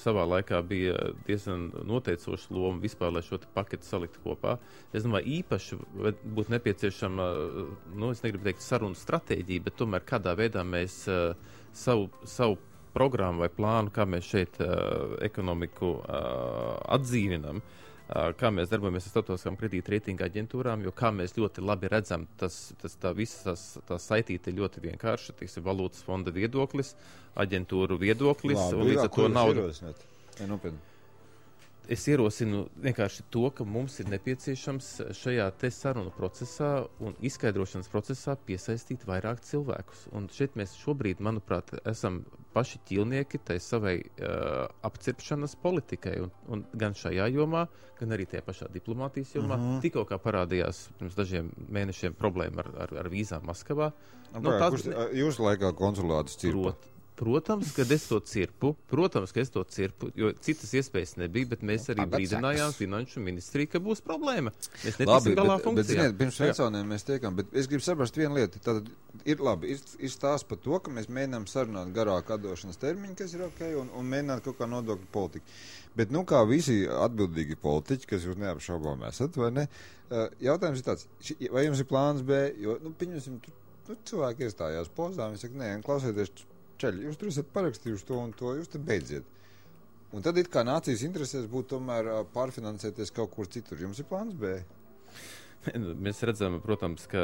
savā laikā bija diezgan noteicoša loma vispār, lai šo paketu salikt kopā. Es domāju, īpaši būtu nepieciešama, nu, es negribu teikt sarunu stratēģija, bet tomēr kādā veidā mēs uh, savu, savu programmu vai plānu, kā mēs šeit uh, ekonomiku uh, atdzīvinam, uh, kā mēs darbojamies ar starptautiskām kredīta reitinga aģentūrām, jo kā mēs ļoti labi redzam, tas, tas tā visas tās, tās saitīte ir ļoti vienkārši, tas ir valūtas fonda viedoklis, aģentūru viedoklis, Labi, un līdz ar to naudu. Ja, Es ierosinu vienkārši to, ka mums ir nepieciešams šajā te sarunu procesā un izskaidrošanas procesā piesaistīt vairāk cilvēkus. Un šeit mēs šobrīd, manuprāt, esam paši ķilnieki tai savai uh, apcirpšanas politikai. Un, un gan šajā jomā, gan arī tajā pašā diplomātijas jomā. Uh-huh. Tikko kā parādījās pirms dažiem mēnešiem problēma ar, ar, ar vīzām Maskavā. Nu, no, tās, kurš jūsu laikā konsulātus cirpa? Prot, Protams, ka es to cirpu, protams, ka es to cirpu, jo citas iespējas nebija, bet mēs arī brīdinājām finanšu ministriju, ka būs problēma. Mēs netiksim galā funkcijā. Bet, ziniet, pirms veconiem mēs tiekam, bet es gribu saprast vienu lietu. Tad ir labi, ir, ir stāsts par to, ka mēs mēģinām sarunāt garāku atdošanas termiņu, kas ir ok, un, un mēģināt kaut kā nodokļu politiku. Bet, nu, kā visi atbildīgi politiķi, kas jūs neapšaubām esat, vai ne, jautājums ir tāds, vai jums ir plāns B, jo, nu, pieņemsim, nu, cilvēki iestājās pozā, viņi saka, nē, klausieties, Čeļi, jūs tur esat parakstījuši to un to, jūs te beidziet. Un tad it kā nācijas interesēs būtu tomēr pārfinansēties kaut kur citur. Jums ir plāns B? Mēs redzam, protams, ka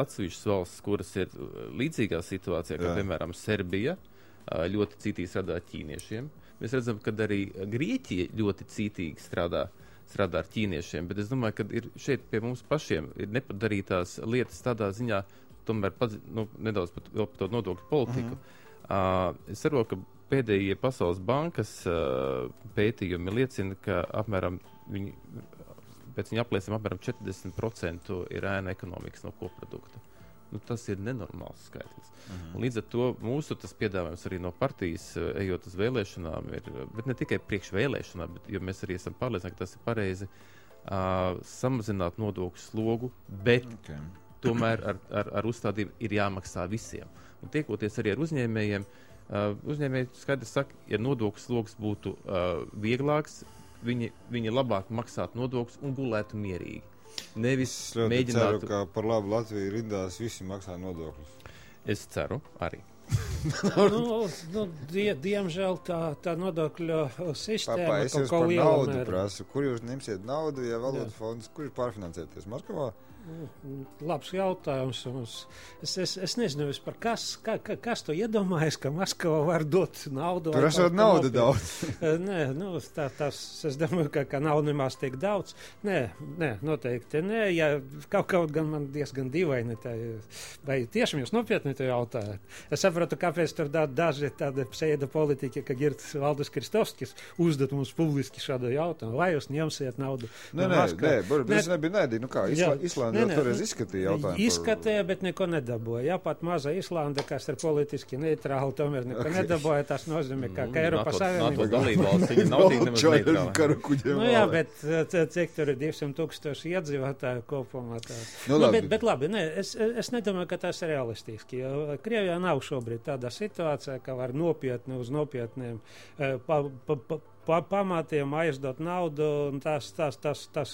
atsevišķas valsts, kuras ir līdzīgā situācijā, kā piemēram Serbija, ļoti cītīgi strādā ķīniešiem. Mēs redzam, ka arī Grieķija ļoti cītīgi strādā strādā ar ķīniešiem, bet es domāju, ka ir šeit pie mums pašiem ir nepadarītās lietas tādā ziņā, tomēr padz, nu, nedaudz pat, vēl par to nodokļu politiku. Mm-hmm. Uh, es saprotu, ka pēdējie Pasaules bankas uh, pētījumi liecina, ka apmēram viņi, pēc viņa aplēsiem apmēram četrdesmit procenti ir ēna ekonomikas no koprodukta. Nu, tas ir nenormāls skaitlis. Mm-hmm. Un līdz ar to mūsu tas piedāvājums arī no partijas, ejot uz vēlēšanām, ir, bet ne tikai priekš vēlēšanām, bet, jo mēs arī esam pārliecināti, ka tas ir pareizi, uh, samazināt nodokļu slogu, bet okay. tomēr ar, ar, ar uzstādību ir jāmaksā visiem. Un tiekoties arī ar uzņēmējiem, uh, uzņēmēji skaidrs saka, ja nodokļu slogs būtu uh, vieglāks, viņi, viņi labāk maksātu nodokļus un gulētu mierīgi. Nevis mēģinātu... ceru, ka par labu Latviju rindās visi maksā nodokļus. Es ceru arī. nu, nu, die, diemžēl tā, tā nodokļu sistēma... Papā, es jūs par naudu mēr... prasu. Kur jūs ņemsiet naudu, ja valodas fonds, kur jūs pārfinansēties? Maskavā? Labs jautājums. Es, es, es nezinu vispār, kas, ka, kas to iedomājas, ka Maskava var dot naudu. Tur esot naudu daudz. Nē, nu, tā, tas, es domāju, ka, ka nav nemaz tik daudz. Nē, nē, noteikti nē. Ja, kaut kaut gan man diezgan dīvaini. Tā, vai tiešām jūs nopietni to jautājat? Es saprotu, kāpēc tur da, daži tādi pseido politiķi, ka Girts Valdis Kristovskis uzdot mums publiski šādu jautājumu. Vai jūs ņemsiet naudu? Nē, nē, nē, bet es nebiju nēdī. Nu kā, Isla, Islanda jau toreiz izskatīja jautājumu. Izskatīja, bet neko nedabūja. Jā, pat maza Islanda, kas ir politiski neitrāla, tomēr neko okay. nedabūja. Tas nozīmē, ka, ka Eiropas Savienība... dalībvalsts, viņi nav tik nemaz neitrāla. Nu jā, bet cik tur ir divsimt tūkstoši iedzīvotāju kopumā. Nu, nu, bet, bet labi, ne, es, es nedomāju, ka tas ir realistiski. Krievijā nav šobrīd tāda situācija, ka var nopietni uz nopietniem pa, pa, pa, pa, pamatiem aizdot naudu, un tas, tas, tas, tas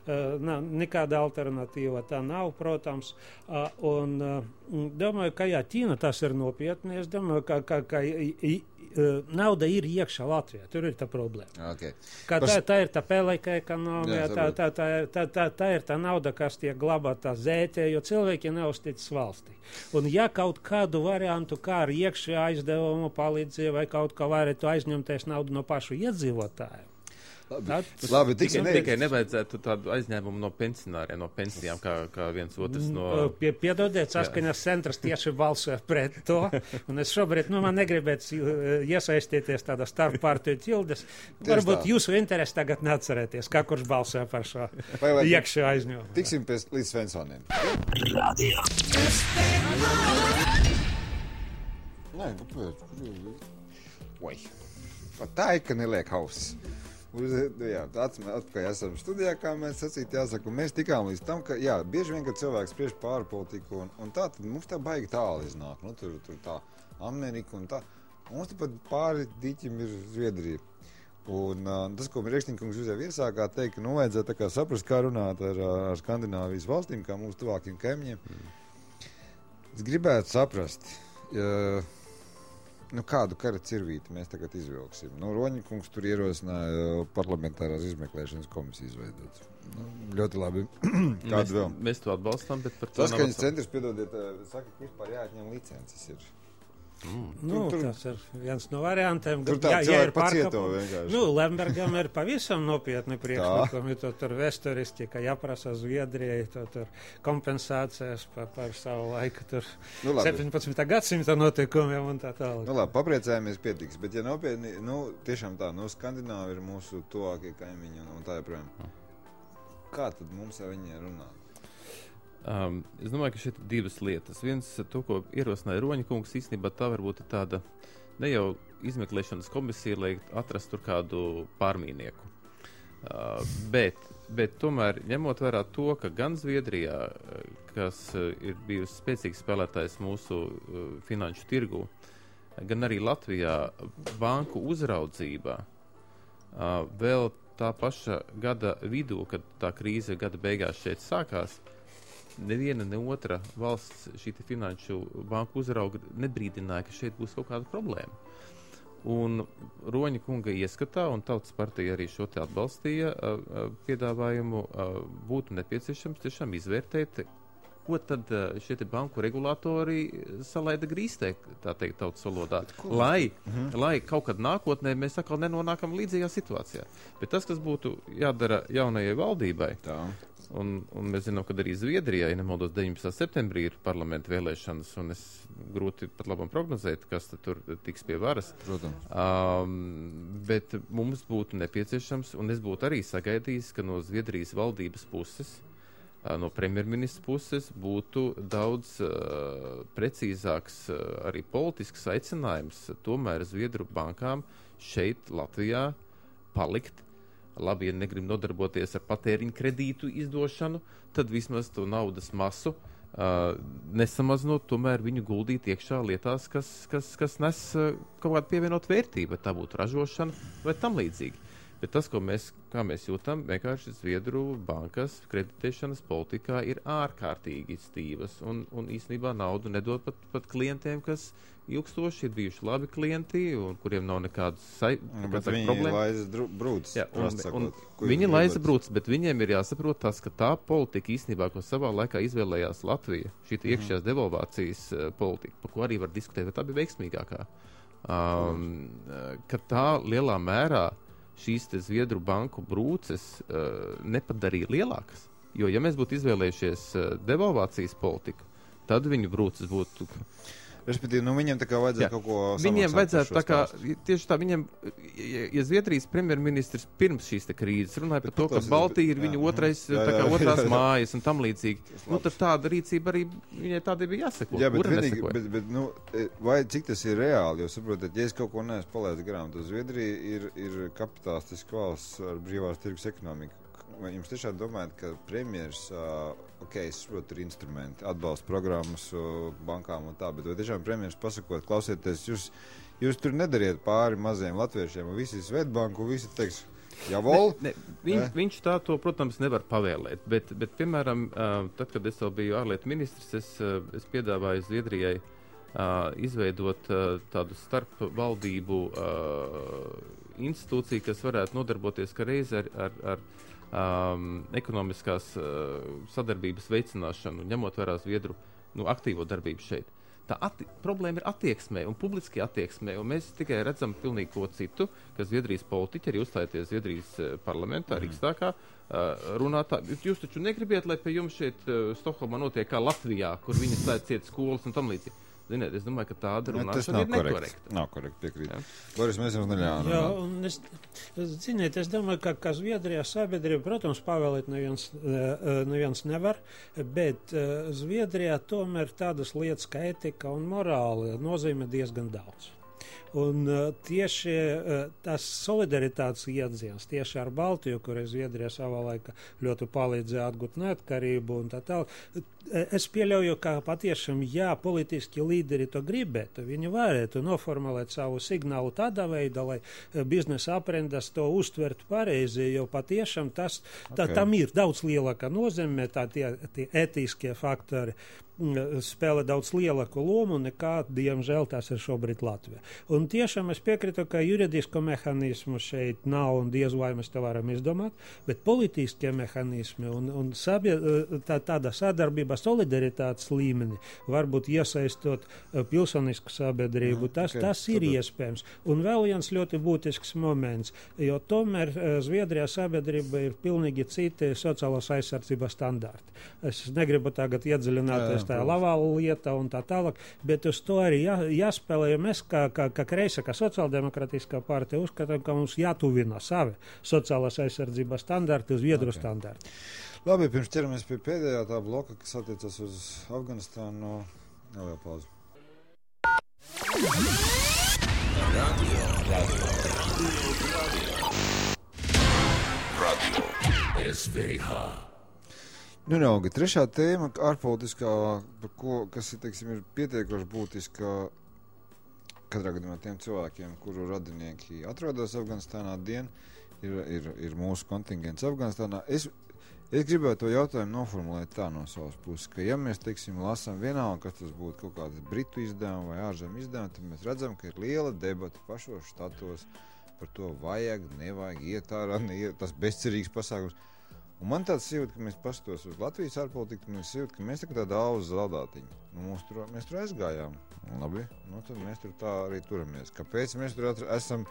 uh, nav, nekāda alternatīva tā nav, protams. Uh, un uh, domāju, ka jā, Ķīna tas ir nopietni. Es domāju, ka, ka, ka i, i, uh, nauda ir iekšā Latvijā. Tur ir tā problēma. Okay. Ka Pas... tā, tā ir tā pelēka ekonomija, tā, tā, tā, tā, tā, tā ir tā nauda, kas tiek glabāta zētē, jo cilvēki neuzticas valstī. Un ja kaut kādu variantu, kā ar iekšā aizdevumu palīdzību vai kaut kā varētu aizņemties naudu no pašu iedzīvotāju. Labi, Tad, labi tikai, tikai, ne... tikai nevajadzētu tādu aizņēmumu no pensionāriem, no pensijām, kā, kā viens otrs no... Pie, piedodiet, saskaņas centrs tieši balsoja pret to, un es šobrīd, nu, man negribētu iesaistīties tādā starppartiju ķildes. Varbūt tā. Jūsu interesi tagad neatcerēties, kā kurš balsoja par šo iekšā aizņēmumu. Tiksim pēc līdz Svensoniem. Radio. Nē, kāpēc? Oi, pat tā ir, ka neliek hausis. Uz, jā, atpakaļ esam studijā, kā mēs sacīt, jāsaka, un mēs tikām līdz tam, ka, jā, bieži vien, kad cilvēks spriež pāri politiku, un, un tā, tad mums tā baigi tālu iznāk, nu, tur, tur tā Amerika un tā, un mums pat pāri diķim ir Zviedrija. Un uh, tas, ko Riekšņikungs jūs jau iesākā teikt, ka, nu, vajadzētu tā kā saprast, kā runāt ar, ar Skandināvijas valstīm, kā mūsu tuvākiem kaimiņiem. Mm. Es gribētu saprast, ja, nu, kādu kara cirvīti mēs tagad izvilksim. Nu, Roņikungs tur ierosināja parlamentārās izmeklēšanas komisiju izveidot. Nu, ļoti labi. Kādu mēs, vēl? Mēs to atbalstām, bet par to Saskaņas centrs, piedodiet, saka, ka vispār jāatņem licences ir. Mm. Nu, tur, tur, tas ir viens no variantiem. Tur tā jā, cilvēki pacieto vienkārši. Nu, Lembergam ir pavisam nopietni priekšlikumi. To tur vēsturiski, ka jāprasa Zviedrijai to tur kompensācijas par, par savu laiku tur nu, septiņpadsmitā gadsimta notikumiem un tā tālāk. Nu labi, papriecājamies pietiks, bet ja nopietni, nu, tiešām tā, nu, Skandināvi ir mūsu tuvākie kaimiņi un, un tā joprojām. Kā tad mums ar viņiem runāt? Um, es domāju, ka šeit ir divas lietas. Viens, to, ko ierosināja Roņikungs, īstenībā tā varbūt ir tāda ne jau izmeklēšanas komisija, lai atrastu tur kādu pārmīnieku. Uh, bet, bet tomēr ņemot vērā to, ka gan Zviedrijā, kas uh, ir bijusi spēcīgs spēlētājs mūsu uh, finanšu tirgu, gan arī Latvijā banku uzraudzībā uh, vēl tā paša gada vidū, kad tā krīze gada beigās šeit sākās, neviena, ne otra valsts šī finanšu banku uzrauga nebrīdināja, ka šeit būs kaut kāda problēma. Un Roņa kunga ieskatā, un Tautas partija arī šo te atbalstīja, piedāvājumu būtu nepieciešams tiešām izvērtēt, ko tad šie te banku regulātori salaida grīstē, tā teikt, tautas valodā, lai, mhm. lai kaut kad nākotnē mēs atkal nenonākam līdzīgā situācijā. Bet tas, kas būtu jādara jaunajai valdībai, tā. Un, un mēs zinām, ka arī Zviedrijā, ja nemaldos, deviņpadsmitā septembrī ir parlamenta vēlēšanas, un es grūti pat labam prognozēt, kas tur tiks pie varas. Protams. Um, bet mums būtu nepieciešams, un es būtu arī sagaidījis, ka no Zviedrijas valdības puses, uh, no premjerministra puses, būtu daudz uh, precīzāks uh, arī politisks aicinājums tomēr Zviedru bankām šeit Latvijā palikt. Labi, ja negrib nodarboties ar patēriņu kredītu izdošanu, tad vismaz to naudas masu uh, nesamazinot, tomēr viņu guldīt iekšā lietās, kas, kas, kas nes uh, kaut kādu pievienot vērtību, vai tā būtu ražošana vai tam līdzīgi. Bet tas, ko mēs, kā mēs jūtam, vienkārši Zviedru bankas kreditēšanas politikā ir ārkārtīgi stīvas un, un īstenībā naudu nedod pat, pat klientiem, kas ilgstoši ir bijuši labi klienti un kuriem nav nekādas sai, bet viņi problēma. Laiza brūcis. Jā, un, un viņi laiza brūcis, bet viņiem ir jāsaprot tas, ka tā politika īstenībā, ko savā laikā izvēlējās Latvija, šī mm. iekšējās devalvācijas uh, politika, par ko arī var diskutēt, vai tā bija veiksmīgākā, um, ka tā lielā mērā šīs te Zviedru banku brūces uh, nepadarīja lielākas. Jo, ja mēs būtu izvēlējušies uh, devalvācijas politiku, tad viņu brūces būtu... Respektīvi, nu viņiem tā kā vajadzētu jā. kaut ko samaksāt. Viņiem vajadzētu tā kā, tieši tā, viņiem, ja, ja Zviedrijas premjerministrs pirms šīs te krīzes runāja par to, ka Baltija ir viņu otrais, jā, jā, tā kā otrās jā, jā, jā. mājas un tam līdzīgi, nu tad tāda rīcība arī, viņai tādai bija jāseko. Jā, bet, vienīgi, bet, bet nu, vai cik tas ir reāli, jo saprotat, ja es kaut ko neesmu palaidis garām, tad Zviedrija ir, ir kapitalistiska valsts ar brīvās tirgus ekonomiku. Vai jums tiešām domājat, ka premjers, uh, ok, es saprotu, ir instrumenti, atbalsta programmas uh, bankām un tā, bet vai tiešām premjers pasakot, klausieties, jūs, jūs tur nedariet pāri maziem latviešiem, un visi Svetbanku, visi teiks, javol? Ne, ne, viņ, viņš tā to, protams, nevar pavēlēt, bet, bet piemēram, uh, tad, kad es vēl biju ārlietu ministrs, es, uh, es piedāvāju Zviedrijai uh, izveidot uh, tādu starpvaldību uh, institūciju, kas varētu nodarboties kā reiz ar, ar, ar Um, ekonomiskās uh, sadarbības veicināšanu, ņemot vērā Zviedru nu, aktīvo darbību šeit. Tā atti- problēma ir attieksmē un publiski attieksmē, un mēs tikai redzam pilnīgi ko citu, ka Zviedrijas politiķi arī uzstājoties Zviedrijas uh, parlamentā, mm. Riksdākā, uh, runātā. Jūs taču negribiet, lai pie jums šeit uh, Stokholmā notiek kā Latvijā, kur viņi slēdz ciet skolas un tam līdzīgi. Ziniet, es domāju, ka tāda runāšana ir nekorekta. Nav korekta, piekrīt. Boris, mēs jums neļāvam. Jā, un es, ziniet, es domāju, ka, ka Zviedrijā sabiedrība, protams, pavēlēt neviens, neviens nevar, bet Zviedrijā tomēr tādas lietas kā etika un morāli nozīmē diezgan daudz. Un uh, tieši uh, tas solidaritātes iedziens tieši ar Baltiju, kurai Zviedrija savā laikā ļoti palīdzēja atgūt neatkarību un tā tālāk. Es pieļauju, ka patiešām, ja politiski līderi to gribētu, viņi varētu noformulēt savu signālu tādā veidā, lai biznesa aprindas to uztvertu pareizi, jo patiešām tas, tā, okay. tam ir daudz lielāka nozīme, tā tie, tie etiskie faktori spēlē daudz lielāku lomu nekā, diemžēl, tas ir šobrīd Latvijā. Un tiešām es piekrītu, ka juridisko mehānismu šeit nav un diez vai mēs to varam izdomāt, bet politiskie mehānismi un, un sabie, tā, tāda sadarbība solidaritātes līmeni, varbūt iesaistot pilsonisku sabiedrību, tas, okay, tas ir tad... iespējams. Un vēl viens ļoti būtisks moments, jo tomēr Zviedrijā sabiedrība ir pilnīgi citi sociālās aizsardzības standarti. Es negribu tagad iedziļināties tā Lavala lieta un tā tālāk, bet uz to arī jā, jāspēlē, jo mēs kā, kā, kā kreisa, kā sociāldemokrātiskā partija uzskatām, ka mums jātuvina savi sociālās aizsardzības standarti uz Zviedru okay. standarti. Labi, pirms ķeramies pie pēdējā tā bloka, kas attiecas uz Afganistānu, neliela pauze. Radio, radio, radio, radio, S V H. Nu, raugi, trešā tēma, ārpolitiskā, par ko, kas ir, teiksim, ir pietiekoši būtiska katrā gadījumā tiem cilvēkiem, kuru radinieki atrodas Afganistānā dien, ir, ir, ir mūsu kontingents Afganistānā. Es, es gribētu to jautājumu noformulēt tā no savas puses, ka ja mēs, teiksim, lasām vienalga, kas tas būtu kaut kāds britu izdevumi vai ārzem izdevumi, tad mēs redzam, ka ir liela debata pašos štatos par to vajag, nevajag, iet ārā, neiet, tas bezcerīgs pasākums. Un man tāds jūta, ka mēs pastos uz Latvijas ārpolitiku, mēs jūta, ka mēs tā kā tāda auza zaldātiņa. Nu, mums tur, mēs tur aizgājām. Labi, nu tad mēs tur tā arī turamies. Kāpēc mēs tur atr- esam,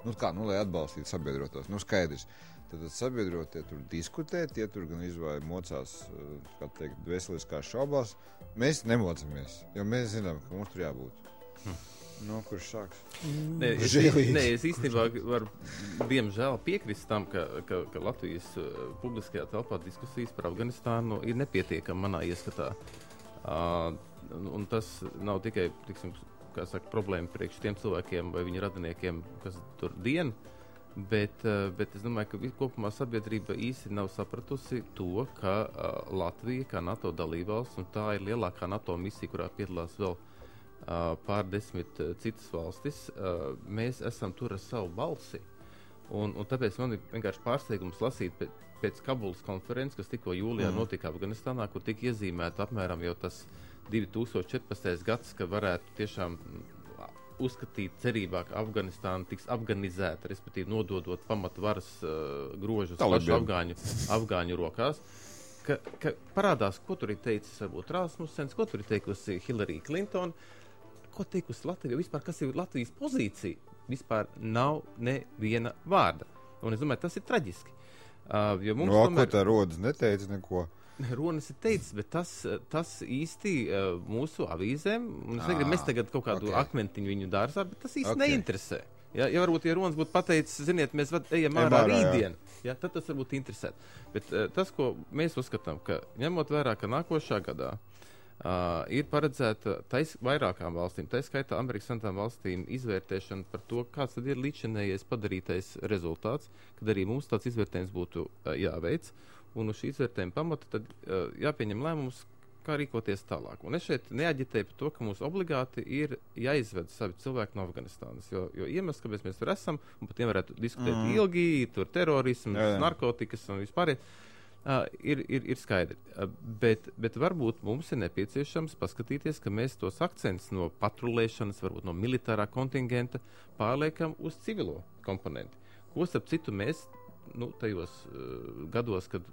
nu kā, nu lai atbalstītu sabiedrotos, nu skaidrs. Tad sabiedrotie tur diskutē, tie tur gan izvāja mocās, kā teikt, veseliskās šaubās. Mēs nemocamies, jo mēs zinām, ka mums tur jābūt. Hm. No, kurš sāks? Nē, es, nē, es īstenībā varu, diemžēl, piekrist tam, ka, ka, ka Latvijas uh, publiskajā telpā diskusijas par Afganistānu ir nepietiekama manā ieskatā. Uh, un tas nav tikai, tiksim, kā saka, problēma priekš tiem cilvēkiem vai viņu radiniekiem, kas tur dien, bet, uh, bet es domāju, ka kopumā sabiedrība īsti nav sapratusi to, ka uh, Latvija, kā NATO dalībvalsts, un tā ir lielākā NATO misija, kurā piedalās vēl Uh, pār desmit uh, citas valstis, uh, mēs esam tur ar savu balsi. Un, un tāpēc man ir vienkārši pārsteigums lasīt pēc, pēc Kabulas konferences, kas tikko jūlijā mm. notika Afganistānā, kur tika iezīmēta apmēram jau tas divi tūkstoši četrpadsmitais gads, ka varētu tiešām uzskatīt cerībā, ka Afganistāna tiks afganizēta, respektīvi nododot pamatvaras uh, grožus pašu afgāņu, afgāņu rokās. Ka, ka parādās, ko tur ir teicis varbūt Rasmussens, ko tur ir teikusi Hillary Clinton, ko teikusi Latvija, vispār kas ir Latvijas pozīcija, vispār nav neviena vārda. Un es domāju, tas ir traģiski. Uh, jo mums no, tomēr... ko tā Rodas neteica neko? Rodas ir teicis, bet tas, tas īsti uh, mūsu avīzēm, un es negribu mēs tagad kaut kādu okay. akmentiņu viņu dārzā, bet tas īsti okay. neinteresē. Ja, ja varbūt, ja Ronas būtu pateicis, ziniet, mēs vad, ejam ārā rītdien, ja, tad tas varbūt interesētu. Bet uh, tas, ko mēs uzskatām, ka ņemot vērā, ka nākošā gadā Uh, ir paredzēta tais vairākām valstīm, tā skaitā Amerikas Savienotām valstīm izvērtēšana par to, kāds tad ir līdzinējais padarītais rezultāts, kad arī mums tāds izvērtējums būtu uh, jāveic, un uz šī izvērtējuma pamata tad uh, jāpieņem lēmums, kā rīkoties tālāk. Un es šeit neaģitēju par to, ka mums obligāti ir jāizved savi cilvēki no Afganistānas, jo, jo iemesls, kāpēc mēs tur esam, un par tiem varētu diskutēt mm. ilgi, tur terorisms, jā, jā. narkotikas un vispār. Uh, ir, ir, ir skaidri, uh, bet, bet varbūt mums ir nepieciešams paskatīties, ka mēs tos akcentus no patrulēšanas, varbūt no militārā kontingenta pārliekam uz civilo komponenti. Ko starp citu mēs nu, tajos uh, gados, kad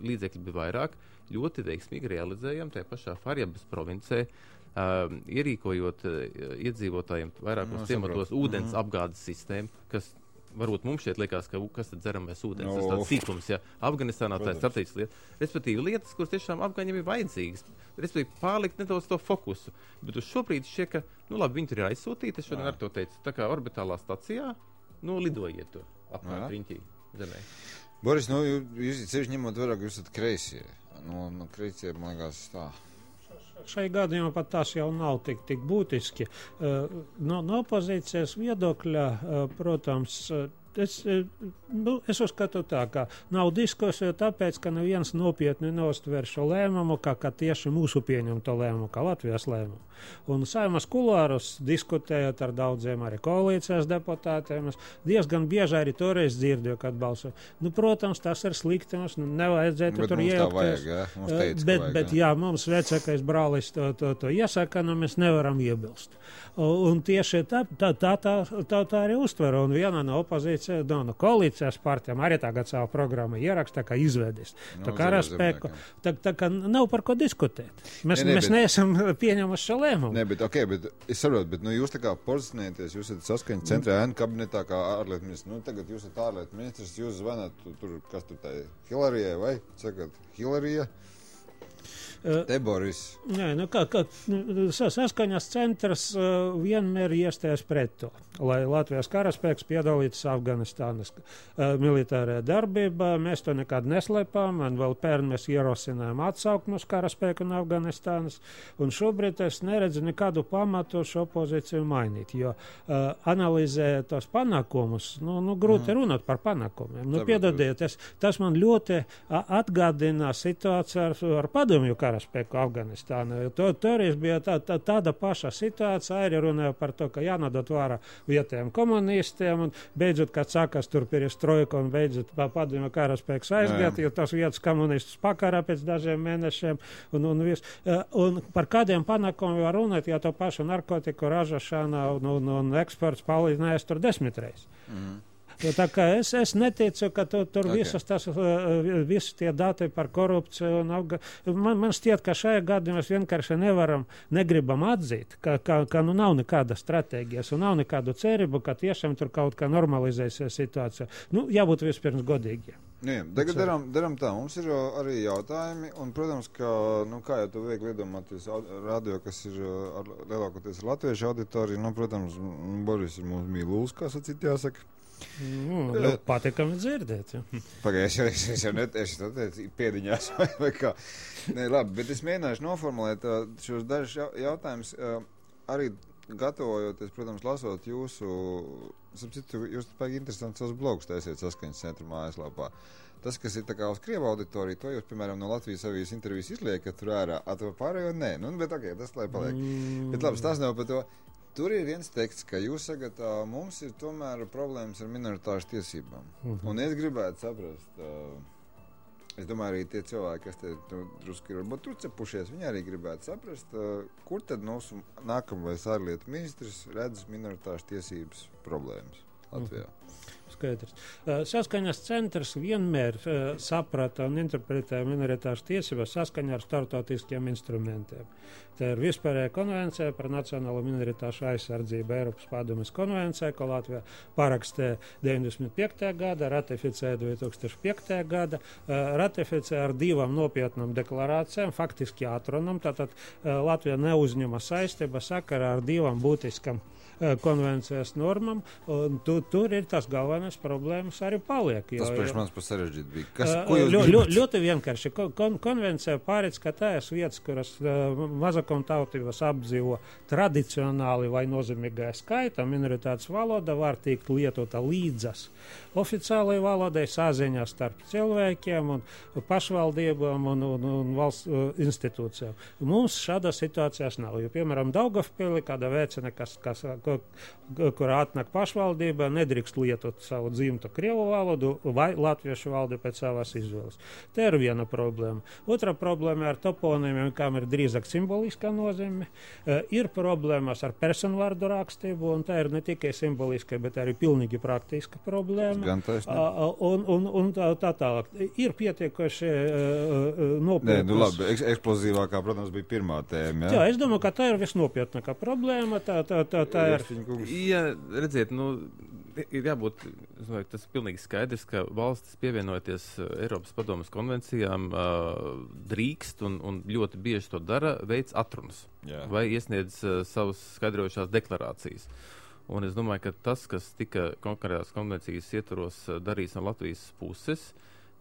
līdzekļi bija vairāk, ļoti veiksmīgi realizējam tajā pašā Faryabas provincē, uh, ierīkojot uh, iedzīvotājiem vairākos ciematos ūdens mm-hmm. apgādes sistēmu, kas varbūt mums šeit liekas, ka kas tad dzeramais ūdens, no. tas tāds sīkums, ja Afganistānā tā ir strateģiska lieta. Respektīvi lietas, kuras tiešām afgaņiem ir vajadzīgas. Respektīvi pārlikt nedaudz to fokusu. Bet uz šobrīd šķiet, ka, nu labi, viņi tur ir aizsūtīti, es šodien ar to teicu, tā kā orbitālā stacijā, nu lidojiet tur apkārt riņķī zemē. Boris, nu, jūs ceļš ņemot vairāk, jūs esat kreisie. Nu, nu kreisie, man liekas, tā. Šai gadījumā pat tas jau nav tik, tik būtiski. No, no opozīcijas viedokļa, protams, es, nu, es uzskatu tā, ka nav diskusija tāpēc, ka neviens nopietni neuztver šo lēmumu, kā, kā tieši mūsu pieņemto lēmumu, kā Latvijas lēmumu. Un Saimas kulārus diskutējot ar daudziem arī koalīcijas deputātiem, es diezgan bieži arī toreiz dzirdēju, kad balsoju. Nu, protams, tas ir slikti, mums nevajadzētu bet tur iejaukties. Ja? Teica, bet, vajag, bet jā, mums vecākais brālis to, to, to iesaka, nu mēs nevaram iebilst. Un tieši tā, tā, tā, tā, tā, tā arī uztver. Un viena no opozīcijas, no, no koalīcijas partijām arī tagad savu programmu ieraksta, kā izvedis. No, tā kā raspēku, tā, tā kā nav par ko diskutēt. Mēs, ne, ne, mēs bet... neesam pieņemuši šo lēmumu. Nē, bet, okay, bet es saprotu, bet nu, jūs tā kā pozicionēties, jūs esat saskaņa centrā ēnu kabinetā kā ārlietu ministrs. Nu, tagad jūs esat ārlietu ministrs, jūs zvanāt tur, tur kas tur tā ir, Hilarijai vai? Sakat, Hilarija? Te Boris. Nē, nu kā, kā saskaņas centrs uh, vienmēr iestājas pret to, lai Latvijas karaspēks piedalītos Afganistānas uh, militārajā darbībā. Mēs to nekad neslēpām, un vēl pērn mēs ierosinājām atsaukt mūsu karaspēku no Afganistānas, un šobrīd es neredzu nekādu pamatu šo pozīciju mainīt, jo uh, analizējot tos panākumus, nu, nu grūti mm. runāt par panākumiem. Nu, piedodiet, es, tas man ļoti atgādina situāciju ar, ar padomju karaspēku. Spēku Afganistānā. To, toreiz bija tā, tā, tāda paša situācija, arī runāja par to, ka jānodot vārā vietējiem komunistiem, un beidzot, kad sākas tur perestroika, un beidzot padomju karaspēks aizgāt, jo tas vietas komunistus pakarā pēc dažiem mēnešiem, un, un, vis, un par kādiem panākumiem var runāt, ja to pašu narkotiku ražošana un, un, un eksports palīdzinājās tur desmitreiz. Mm. Tā kā es, es neticu, ka tu, tur Okay. visas tas, visi tie dati par korupciju un apga... Man, man šķiet, ka šajā gadījumā mēs vienkārši nevaram, negribam atzīt, ka, ka, ka nu nav nekāda stratēģijas un nav nekādu cerību, ka tiešām tur kaut kā normalizēsies situācija. Nu, jābūt vispirms godīgiem. Nu, jā, tagad daram, daram tā, mums ir uh, arī jautājumi, un, protams, ka, nu, kā jau tu viegli iedomāties, radio, kas ir uh, ar, lielākoties latviešu auditoriju, nu, protams, Boris ir mūsu mīluls, kā sacīt jāsaka. Nu, ļoti patīkami dzirdēt. Ja. Pagājušajā reizē es jau netieši to teicu, piediņās vai, vai kā. Nē, labi, bet es mēģināšu noformulēt uh, šos dažus jau, jautājumus, uh, arī gatavojoties, protams, lasot jūsu, sapcitu, jūs tāpēc interesanti savus blogus taisiet Saskaņas centra mājaslapā. Tas, kas ir tā kā uz Krievu auditoriju, to jūs, piemēram, no Latvijas avīzes intervijas izliekat tur ārā, a to pārējo nē. Nu, bet ok, tas lai paliek. Mm. Bet labi, tas nav par to. Tur ir viens teksts, ka jūs sagat, uh, mums ir tomēr problēmas ar minoritāšu tiesībām. Mm-hmm. Un es gribētu saprast, uh, es domāju, arī tie cilvēki, kas te nu, drusku ir varbūt trucepušies, viņi arī gribētu saprast, uh, kur tad mūsu nākamais ārlietu ministrs redz minoritāšu tiesības problēmas Latvijā. Mm-hmm. Skaidrs. Saskaņas centrs vienmēr uh, saprata un interpretēja minoritāšu tiesības saskaņā ar startautiskiem instrumentiem. Tā ir vispārējā konvencija par nacionālo minoritāšu aizsardzību, Eiropas padomes konvencija, ko Latvija parakstīja deviņdesmit piektajā gada, ratificēja divi tūkstoši piektajā gada, uh, ratificēja ar divām nopietnām deklarācijām, faktiski atrunam, tātad uh, Latvija neuzņema saistība sakarā ar divām būtiskām konvencijas normam, un tu, tur ir tas galvenais problēmas arī paliek. Tas priekš mans par sarežģīt bija. Kas, uh, ko jūs ļo, gribat? Ļoti vienkārši. Kon, konvencija pārēc, ka tās vietas, kuras uh, mazakumtautības apdzīvo tradicionāli vai nozīmīgā skaita, minoritātes valoda var tikt lietota līdzas oficiālai valodai saziņā starp cilvēkiem un pašvaldībām un, un, un valsts uh, institūcijām. Mums šāda situācijas nav, jo, piemēram, Daugavpili, kāda veicina, kas, kas kur atnāk pašvaldība, nedrīkst lietot savu dzimtu krievu valodu vai latviešu valodu pēc savas izvēles. Tā ir viena problēma. Otra problēma ar toponīmiem, kam ir drīzāk simboliska nozīme. Uh, ir problēmas ar personvārdu rakstību, un tā ir ne tikai simboliska, bet arī pilnīgi praktiska problēma. Gan taisnība. Uh, un, un, un tā, tā tālāk. Ir pietiekoši uh, nopietnas. Nē, nu labi, Eks, eksplozīvākā, protams, bija pirmā tēma. Jā, es domāju, ka tā ir visnopietnākā problēma. Tā, tā, tā, tā ir. Ja, redziet, nu, ir jābūt, es domāju, tas ir pilnīgi skaidrs, ka valstis pievienojoties Eiropas padomes konvencijām uh, drīkst un, un ļoti bieži to dara, veids atrunas Jā. vai iesniedz uh, savas skaidrojušās deklarācijas. Un es domāju, ka tas, kas tika konkrētās konvencijas ietvaros uh, darīts no Latvijas puses,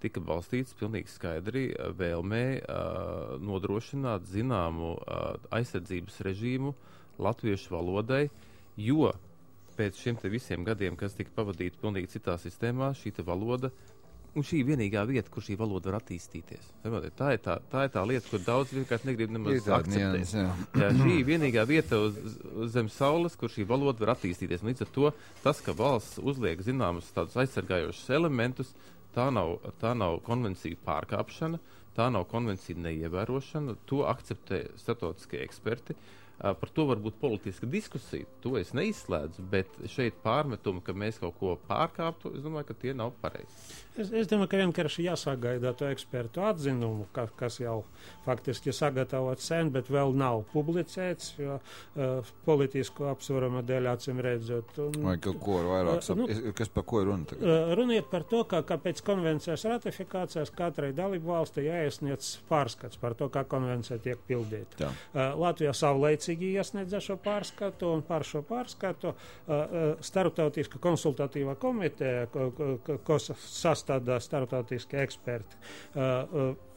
tika balstīts pilnīgi skaidri vēlmē uh, nodrošināt zināmu uh, aizsardzības režīmu latviešu valodai, jo pēc šiem te visiem gadiem, kas tika pavadīti pilnīgi citā sistēmā, šī te valoda, un šī ir vienīgā vieta, kur šī valoda var attīstīties. Tā ir tā, tā, ir tā lieta, kur daudz vienkārši negrib nemaz akceptēt. Nians, jā. Jā, šī ir vienīgā vieta uz, uz zem saules, kur šī valoda var attīstīties. Un līdz ar to tas, ka valsts uzliek zināmus tādus aizsargājošus elementus, tā nav, tā nav konvenciju pārkāpšana, tā nav konvenciju neievērošana, to akceptē starptautiskie eksperti. Uh, par to var būt politiska diskusija, to es neizslēdzu, bet šeit pārmetumi, ka mēs kaut ko pārkāptu, es domāju, ka tie nav pareizi. Es, es domāju, ka vienkārši jāsagaida to ekspertu atzinumu, ka, kas jau faktiski sagatavots sen, bet vēl nav publicēts, jo uh, politisku apsvarumu dēļ acīm redzot. Un, vai kaut ko vairāk sap... uh, nu, kas par ko ir runa tagad? Uh, runiet par to, ka, ka pēc konvencijas ratifikācijas katrai dalību valstī jāiesniedz pārskats par to, kā konvencija tiek pildīta. Uh, Latvijā savlaicīgi iesniedza šo pārskatu, un par šo pārskatu uh, uh, starptautiska konsultatīva komiteja, ko, ko, ko sastādā starptautiskie eksperti, uh, uh,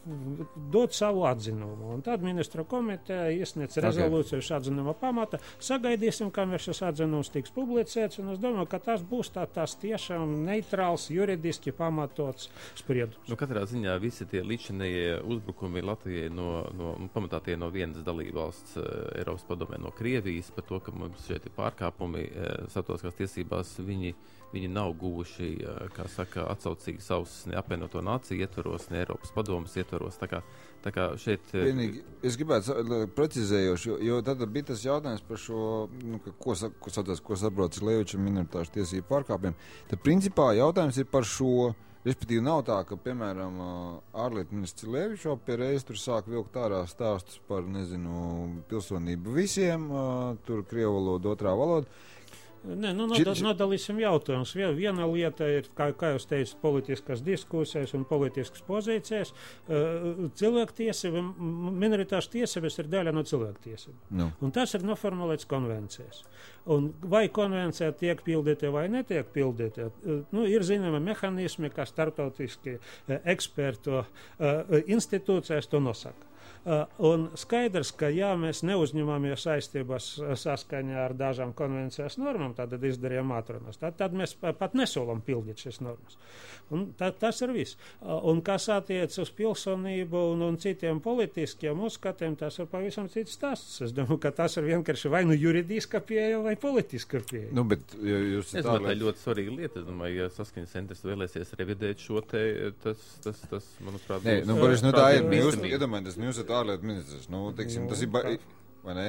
dot savu atzinumu. Un tad ministra komiteja iesniedz rezolūciju okay. atzinuma pamata. Sagaidīsim, kamēr šis atzinums tiks publicēts, un es domāju, ka tas būs tā, tās tiešām neitrāls, juridiski pamatots spriedums. Nu, katrā ziņā visi tie līdzinējie uzbrukumi Latvijai no, no pamatā tie no vienas dalībvalsts uh, Eiropas padomē no Krievijas par to, ka mums šeit ir pārkāpumi uh, starptautiskās tiesībās, viņi Viņi nav guvuši, kā saka, atsaucīgas ausis ne apvienoto nāciju ietvaros, ne Eiropas padomes ietvaros. ietvaros. Tā kā, tā kā šeit... Vienīgi, es gribētu precizējoši, jo, jo tad bija tas jautājums par šo, nu, ka, ko, ko, satās, ko saprotas Leviča minoritāšu tiesību pārkāpiem. Tad principā jautājums ir par šo, respektīvi nav tā, ka, piemēram, ārlietu ministrs Levičs pie reizes tur sāk vilkt ārā stāstus par, nezinu, pilsonību visiem, tur krievu valodu, otrā valoda. Nē, nu, nodal, nodalīsim jautājumus. Viena lieta ir, kā, kā jūs teicat, politiskas diskusijas un politiskas pozīcijas. Cilvēktiesība, minoritāšu tiesības ir daļa no cilvēktiesība. No. Un tas ir noformulēts konvencijas. Un vai konvencija tiek pildīta vai netiek pildīta, nu, ir zināma mehānismi, kā starptautiski ekspertu institūcijas to nosaka. Uh, un skaidrs, ka ja mēs neuzņemamies saistības saskaņā ar dažām konvencijas normām, tad izdarījām atrunās. Tad, tad mēs pat nesolam pildīt šīs normas. Un tā, tas ir viss. Uh, un kas attiec uz pilsonību un, un citiem politiskiem uzskatiem, tas ir pavisam cits stāsts. Es domāju, ka tas ir vienkārši vai nu juridiska pieeja vai politiska pieeja. Nu, bet, ja jūs es domāju, tā ir ļoti svarīga lieta. Es domāju, ja Saskaņas centrs vēlēsies revidēt šo te, tas, tas, tas manuprāt, Nē, nu, Boris, nu, tā ir. Jūs iedomājaties, nu, jūs esat ārlietu ministrs, nu, teiksim, tas ir, ba... vai ne,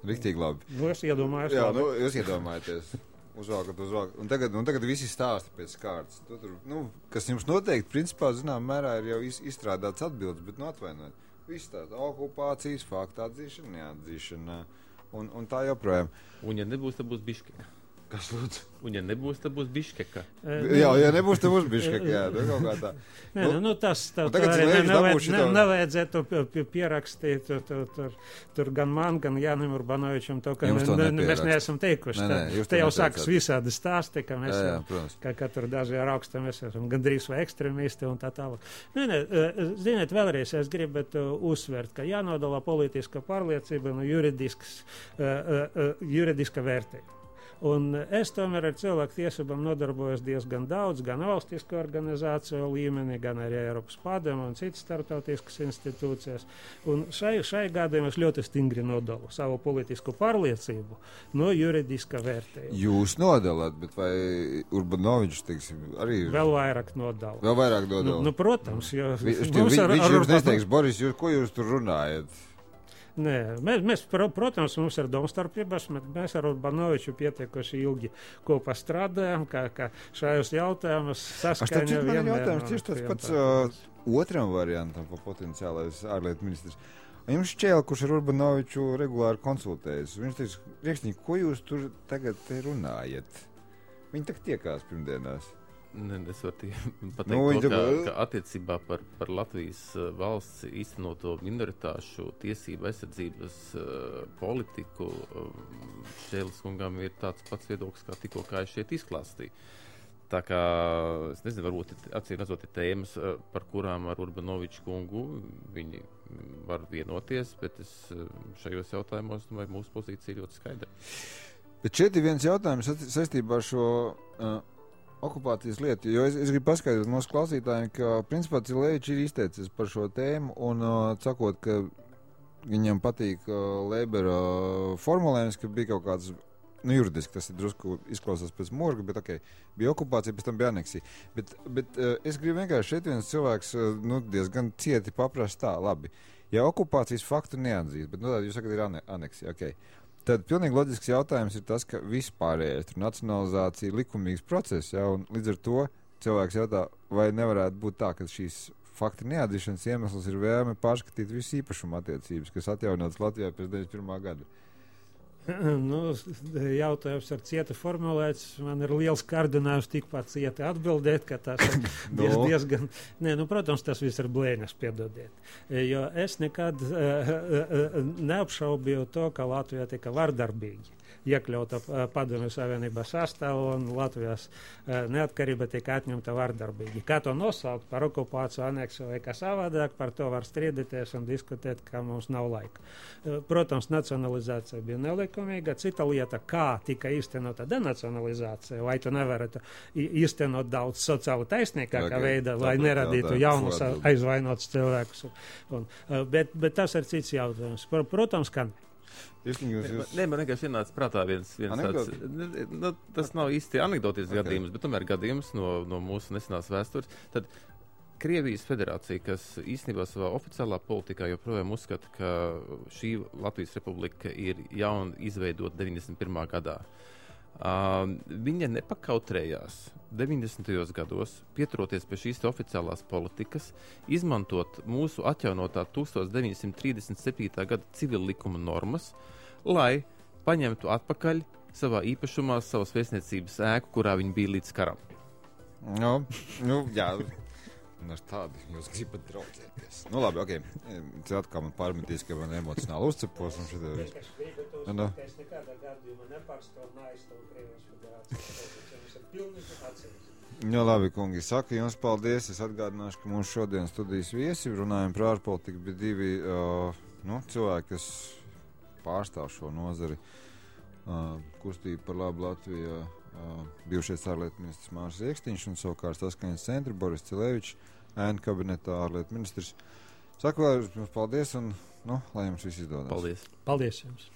riktīgi labi. Nu, es iedomājos. Jā, nu, jūs iedomājaties. Uzvākat, uzvākat. Un tagad, un tagad visi stāsta pēc kārtas. Tu tur, nu, kas jums noteikti, principā, zinām, mērā ir jau izstrādāts atbildes, bet, nu, atvainojiet. Viss tāds okupācijas, faktu atzīšana, neatzīšana. Un, un tā joprojām. Un ja nebūs, tad būs Biškeka. Kas lūdzu? Un ja nebūs, tad būs Biškeka. Jā, ja nebūs, tad būs Biškeka, jā, nu, kaut kā tā. Nē, nu, nu tas tā, tā arī ne, nevajadzētu pierakstīt tur, tur, tur, tur gan man, gan Jānim Urbanovičam to, ka to ne, mēs neesam teikuši. Nē, nē, te jau sākas visādi stāsti, ka mēs, jā, jā, ka, ka tur daži ar augstu mēs esam gandrīz vai ekstremisti un tā tālāk. Nē, nē, ziniet, vēlreiz es gribētu uzsvērt, ka jānodala politiska pārliecība no juridiskas, uh, uh, juridiska vērtība. Un es tomēr ar cilvēku tiesībām nodarbojos diezgan daudz, gan valstisku organizāciju līmenī, gan arī Eiropas padomu un citas starptautiskas institūcijas. Un šai, šai gadījumā es ļoti stingri nodalu savu politisku pārliecību no juridiska vērtējuma. Jūs nodalat, bet vai Urbanovičs, teiksim, arī... Vēl vairāk nodalu. Vēl vairāk nodalu? Nu, nu protams, jo... Vi, viņš ar, ar, jums neteiks, Boris, jūs, ko jūs tur runājat? Nē, mēs, mēs, protams, mums ir domstarpības, bet mēs ar Urbanoviču pietiekuši ilgi kopā strādājam, kā, kā šajos jautājumus saskaņā vienmēr. Man jautājums tieši tas pats uh, otram variantam pa potenciālais ārlietu ministrs. Jums šķēl, kurš ar Urbanoviču regulāri konsultējas, viņš teiks, Riekšņi, ko jūs tur tagad te runājat? Viņi tak tiekās pirmdienās. Ne, es varu pateikt, nu, to, ka, ka attiecībā par, par Latvijas uh, valsts īstenoto minoritāšu tiesību aizsardzības uh, politiku uh, Šēles kungam ir tāds pats viedoklis, kā tikko kā es šeit izklāstīju. Tā kā, es nezinu, varbūt acīm redzot ir tēmas, uh, par kurām ar Urbanoviču kungu viņi var vienoties, bet es uh, šajos jautājumos, nu, vai mūsu pozīcija ļoti skaidra. Bet šeit ir viens jautājums saistībā ar šo... Uh, okupācijas lietu, jo es, es gribu paskaidrot mūsu klausītājiem, ka principā Cilevičs ir izteicis par šo tēmu un uh, sakot, ka viņam patīk uh, Leibera uh, formulējums, ka bija kaut kāds, nu juridiski tas ir drusku izklausās pēc morga, bet ok, bija okupācija, pēc tam bija aneksija. Bet, bet uh, es gribu vienkārši šeit viens cilvēks uh, nu, diezgan cieti paprast tā, labi, ja okupācijas faktu neatzīst, bet nu tā jūs sakat ir ane aneksija, ok. Tad pilnīgi loģisks jautājums ir tas, ka vispārējais tur nacionalizācija ir likumīgs process, ja, un līdz ar to cilvēks jautā, vai nevarētu būt tā, ka šīs fakti neatzīšanas iemesls ir vēlme pārskatīt visu īpašumu attiecības, kas atjaunotas Latvijā pēc deviņdesmit pirmā gada. Nu, jautājums ar cieta formulēts, man ir liels kārdinājums tikpat cieti atbildēt, ka tas ir diez, no. diezgan, nē, nu, protams, tas viss ir blēņas, piedodiet, jo es nekad uh, uh, neapšaubīju to, ka Latvijā tika vardarbīgi iekļauta uh, Padomju Savienības sastāvā un Latvijas uh, neatkarība tika atņemta vardarbīgi. Kā to nosaukt par okupāciju, aneksiju vai kā savādāk, par to var strīdēties un diskutēt, ka mums nav laika. Uh, protams, nacionalizācija bija nelikumīga. Cita lieta, kā tika īstenota denacionalizācija, vai tu nevarētu īstenot daudz sociāli taisnīgākā okay. veidā, lai neradītu jaunus aizvainotus cilvēkus. Un, uh, bet, bet tas ir cits jautājums. Protams, ka ne. Jūs... Nē, man vienkārši ienāca prātā viens, viens tāds, nu, tas nav īsti anekdotisks gadījums, bet tomēr gadījums no, no mūsu nesenās vēstures. Tad Krievijas federācija, kas īstenībā savā oficiālā politikā joprojām uzskata, ka šī Latvijas republika ir jauna izveidota deviņdesmit pirmā gadā. Uh, viņa nepakautrējās deviņdesmitajos gados, pieturoties pie šīs oficiālās politikas, izmantot mūsu atjaunotā tūkstoš deviņsimt trīsdesmit septītā gada civil likuma normas, lai paņemtu atpakaļ savā īpašumā savas vēstniecības ēku, kurā viņi bija līdz karam. Nu, nu jā. Un ar tādu jūs gribat draudzēties. Nu labi, ok. Tas atkal man pārmetīs, ka man emocionāli uzcepos. Un šitā viss. Nu, es nekādā gadījumā nepārstāvu un aizstāvu Krievijas federāciju. Jums ir pilnīgi atsevišķi. Nu labi, kungi, saka jums paldies. Es atgādināšu, ka mūsu šodien studijas viesi runājam par ārpolitiku bija divi uh, nu, cilvēki, kas pārstāv šo nozari. Uh, kustību par labu Latvijā. Uh, bijušais ārlietu ministrs Māris Riekstiņš un savukārt saskaņas centra Boris Cilevičs, ēnu kabinetā ārlietu ministrs. Saku vēl jums paldies un, nu, lai jums viss izdodas. Paldies. Paldies jums.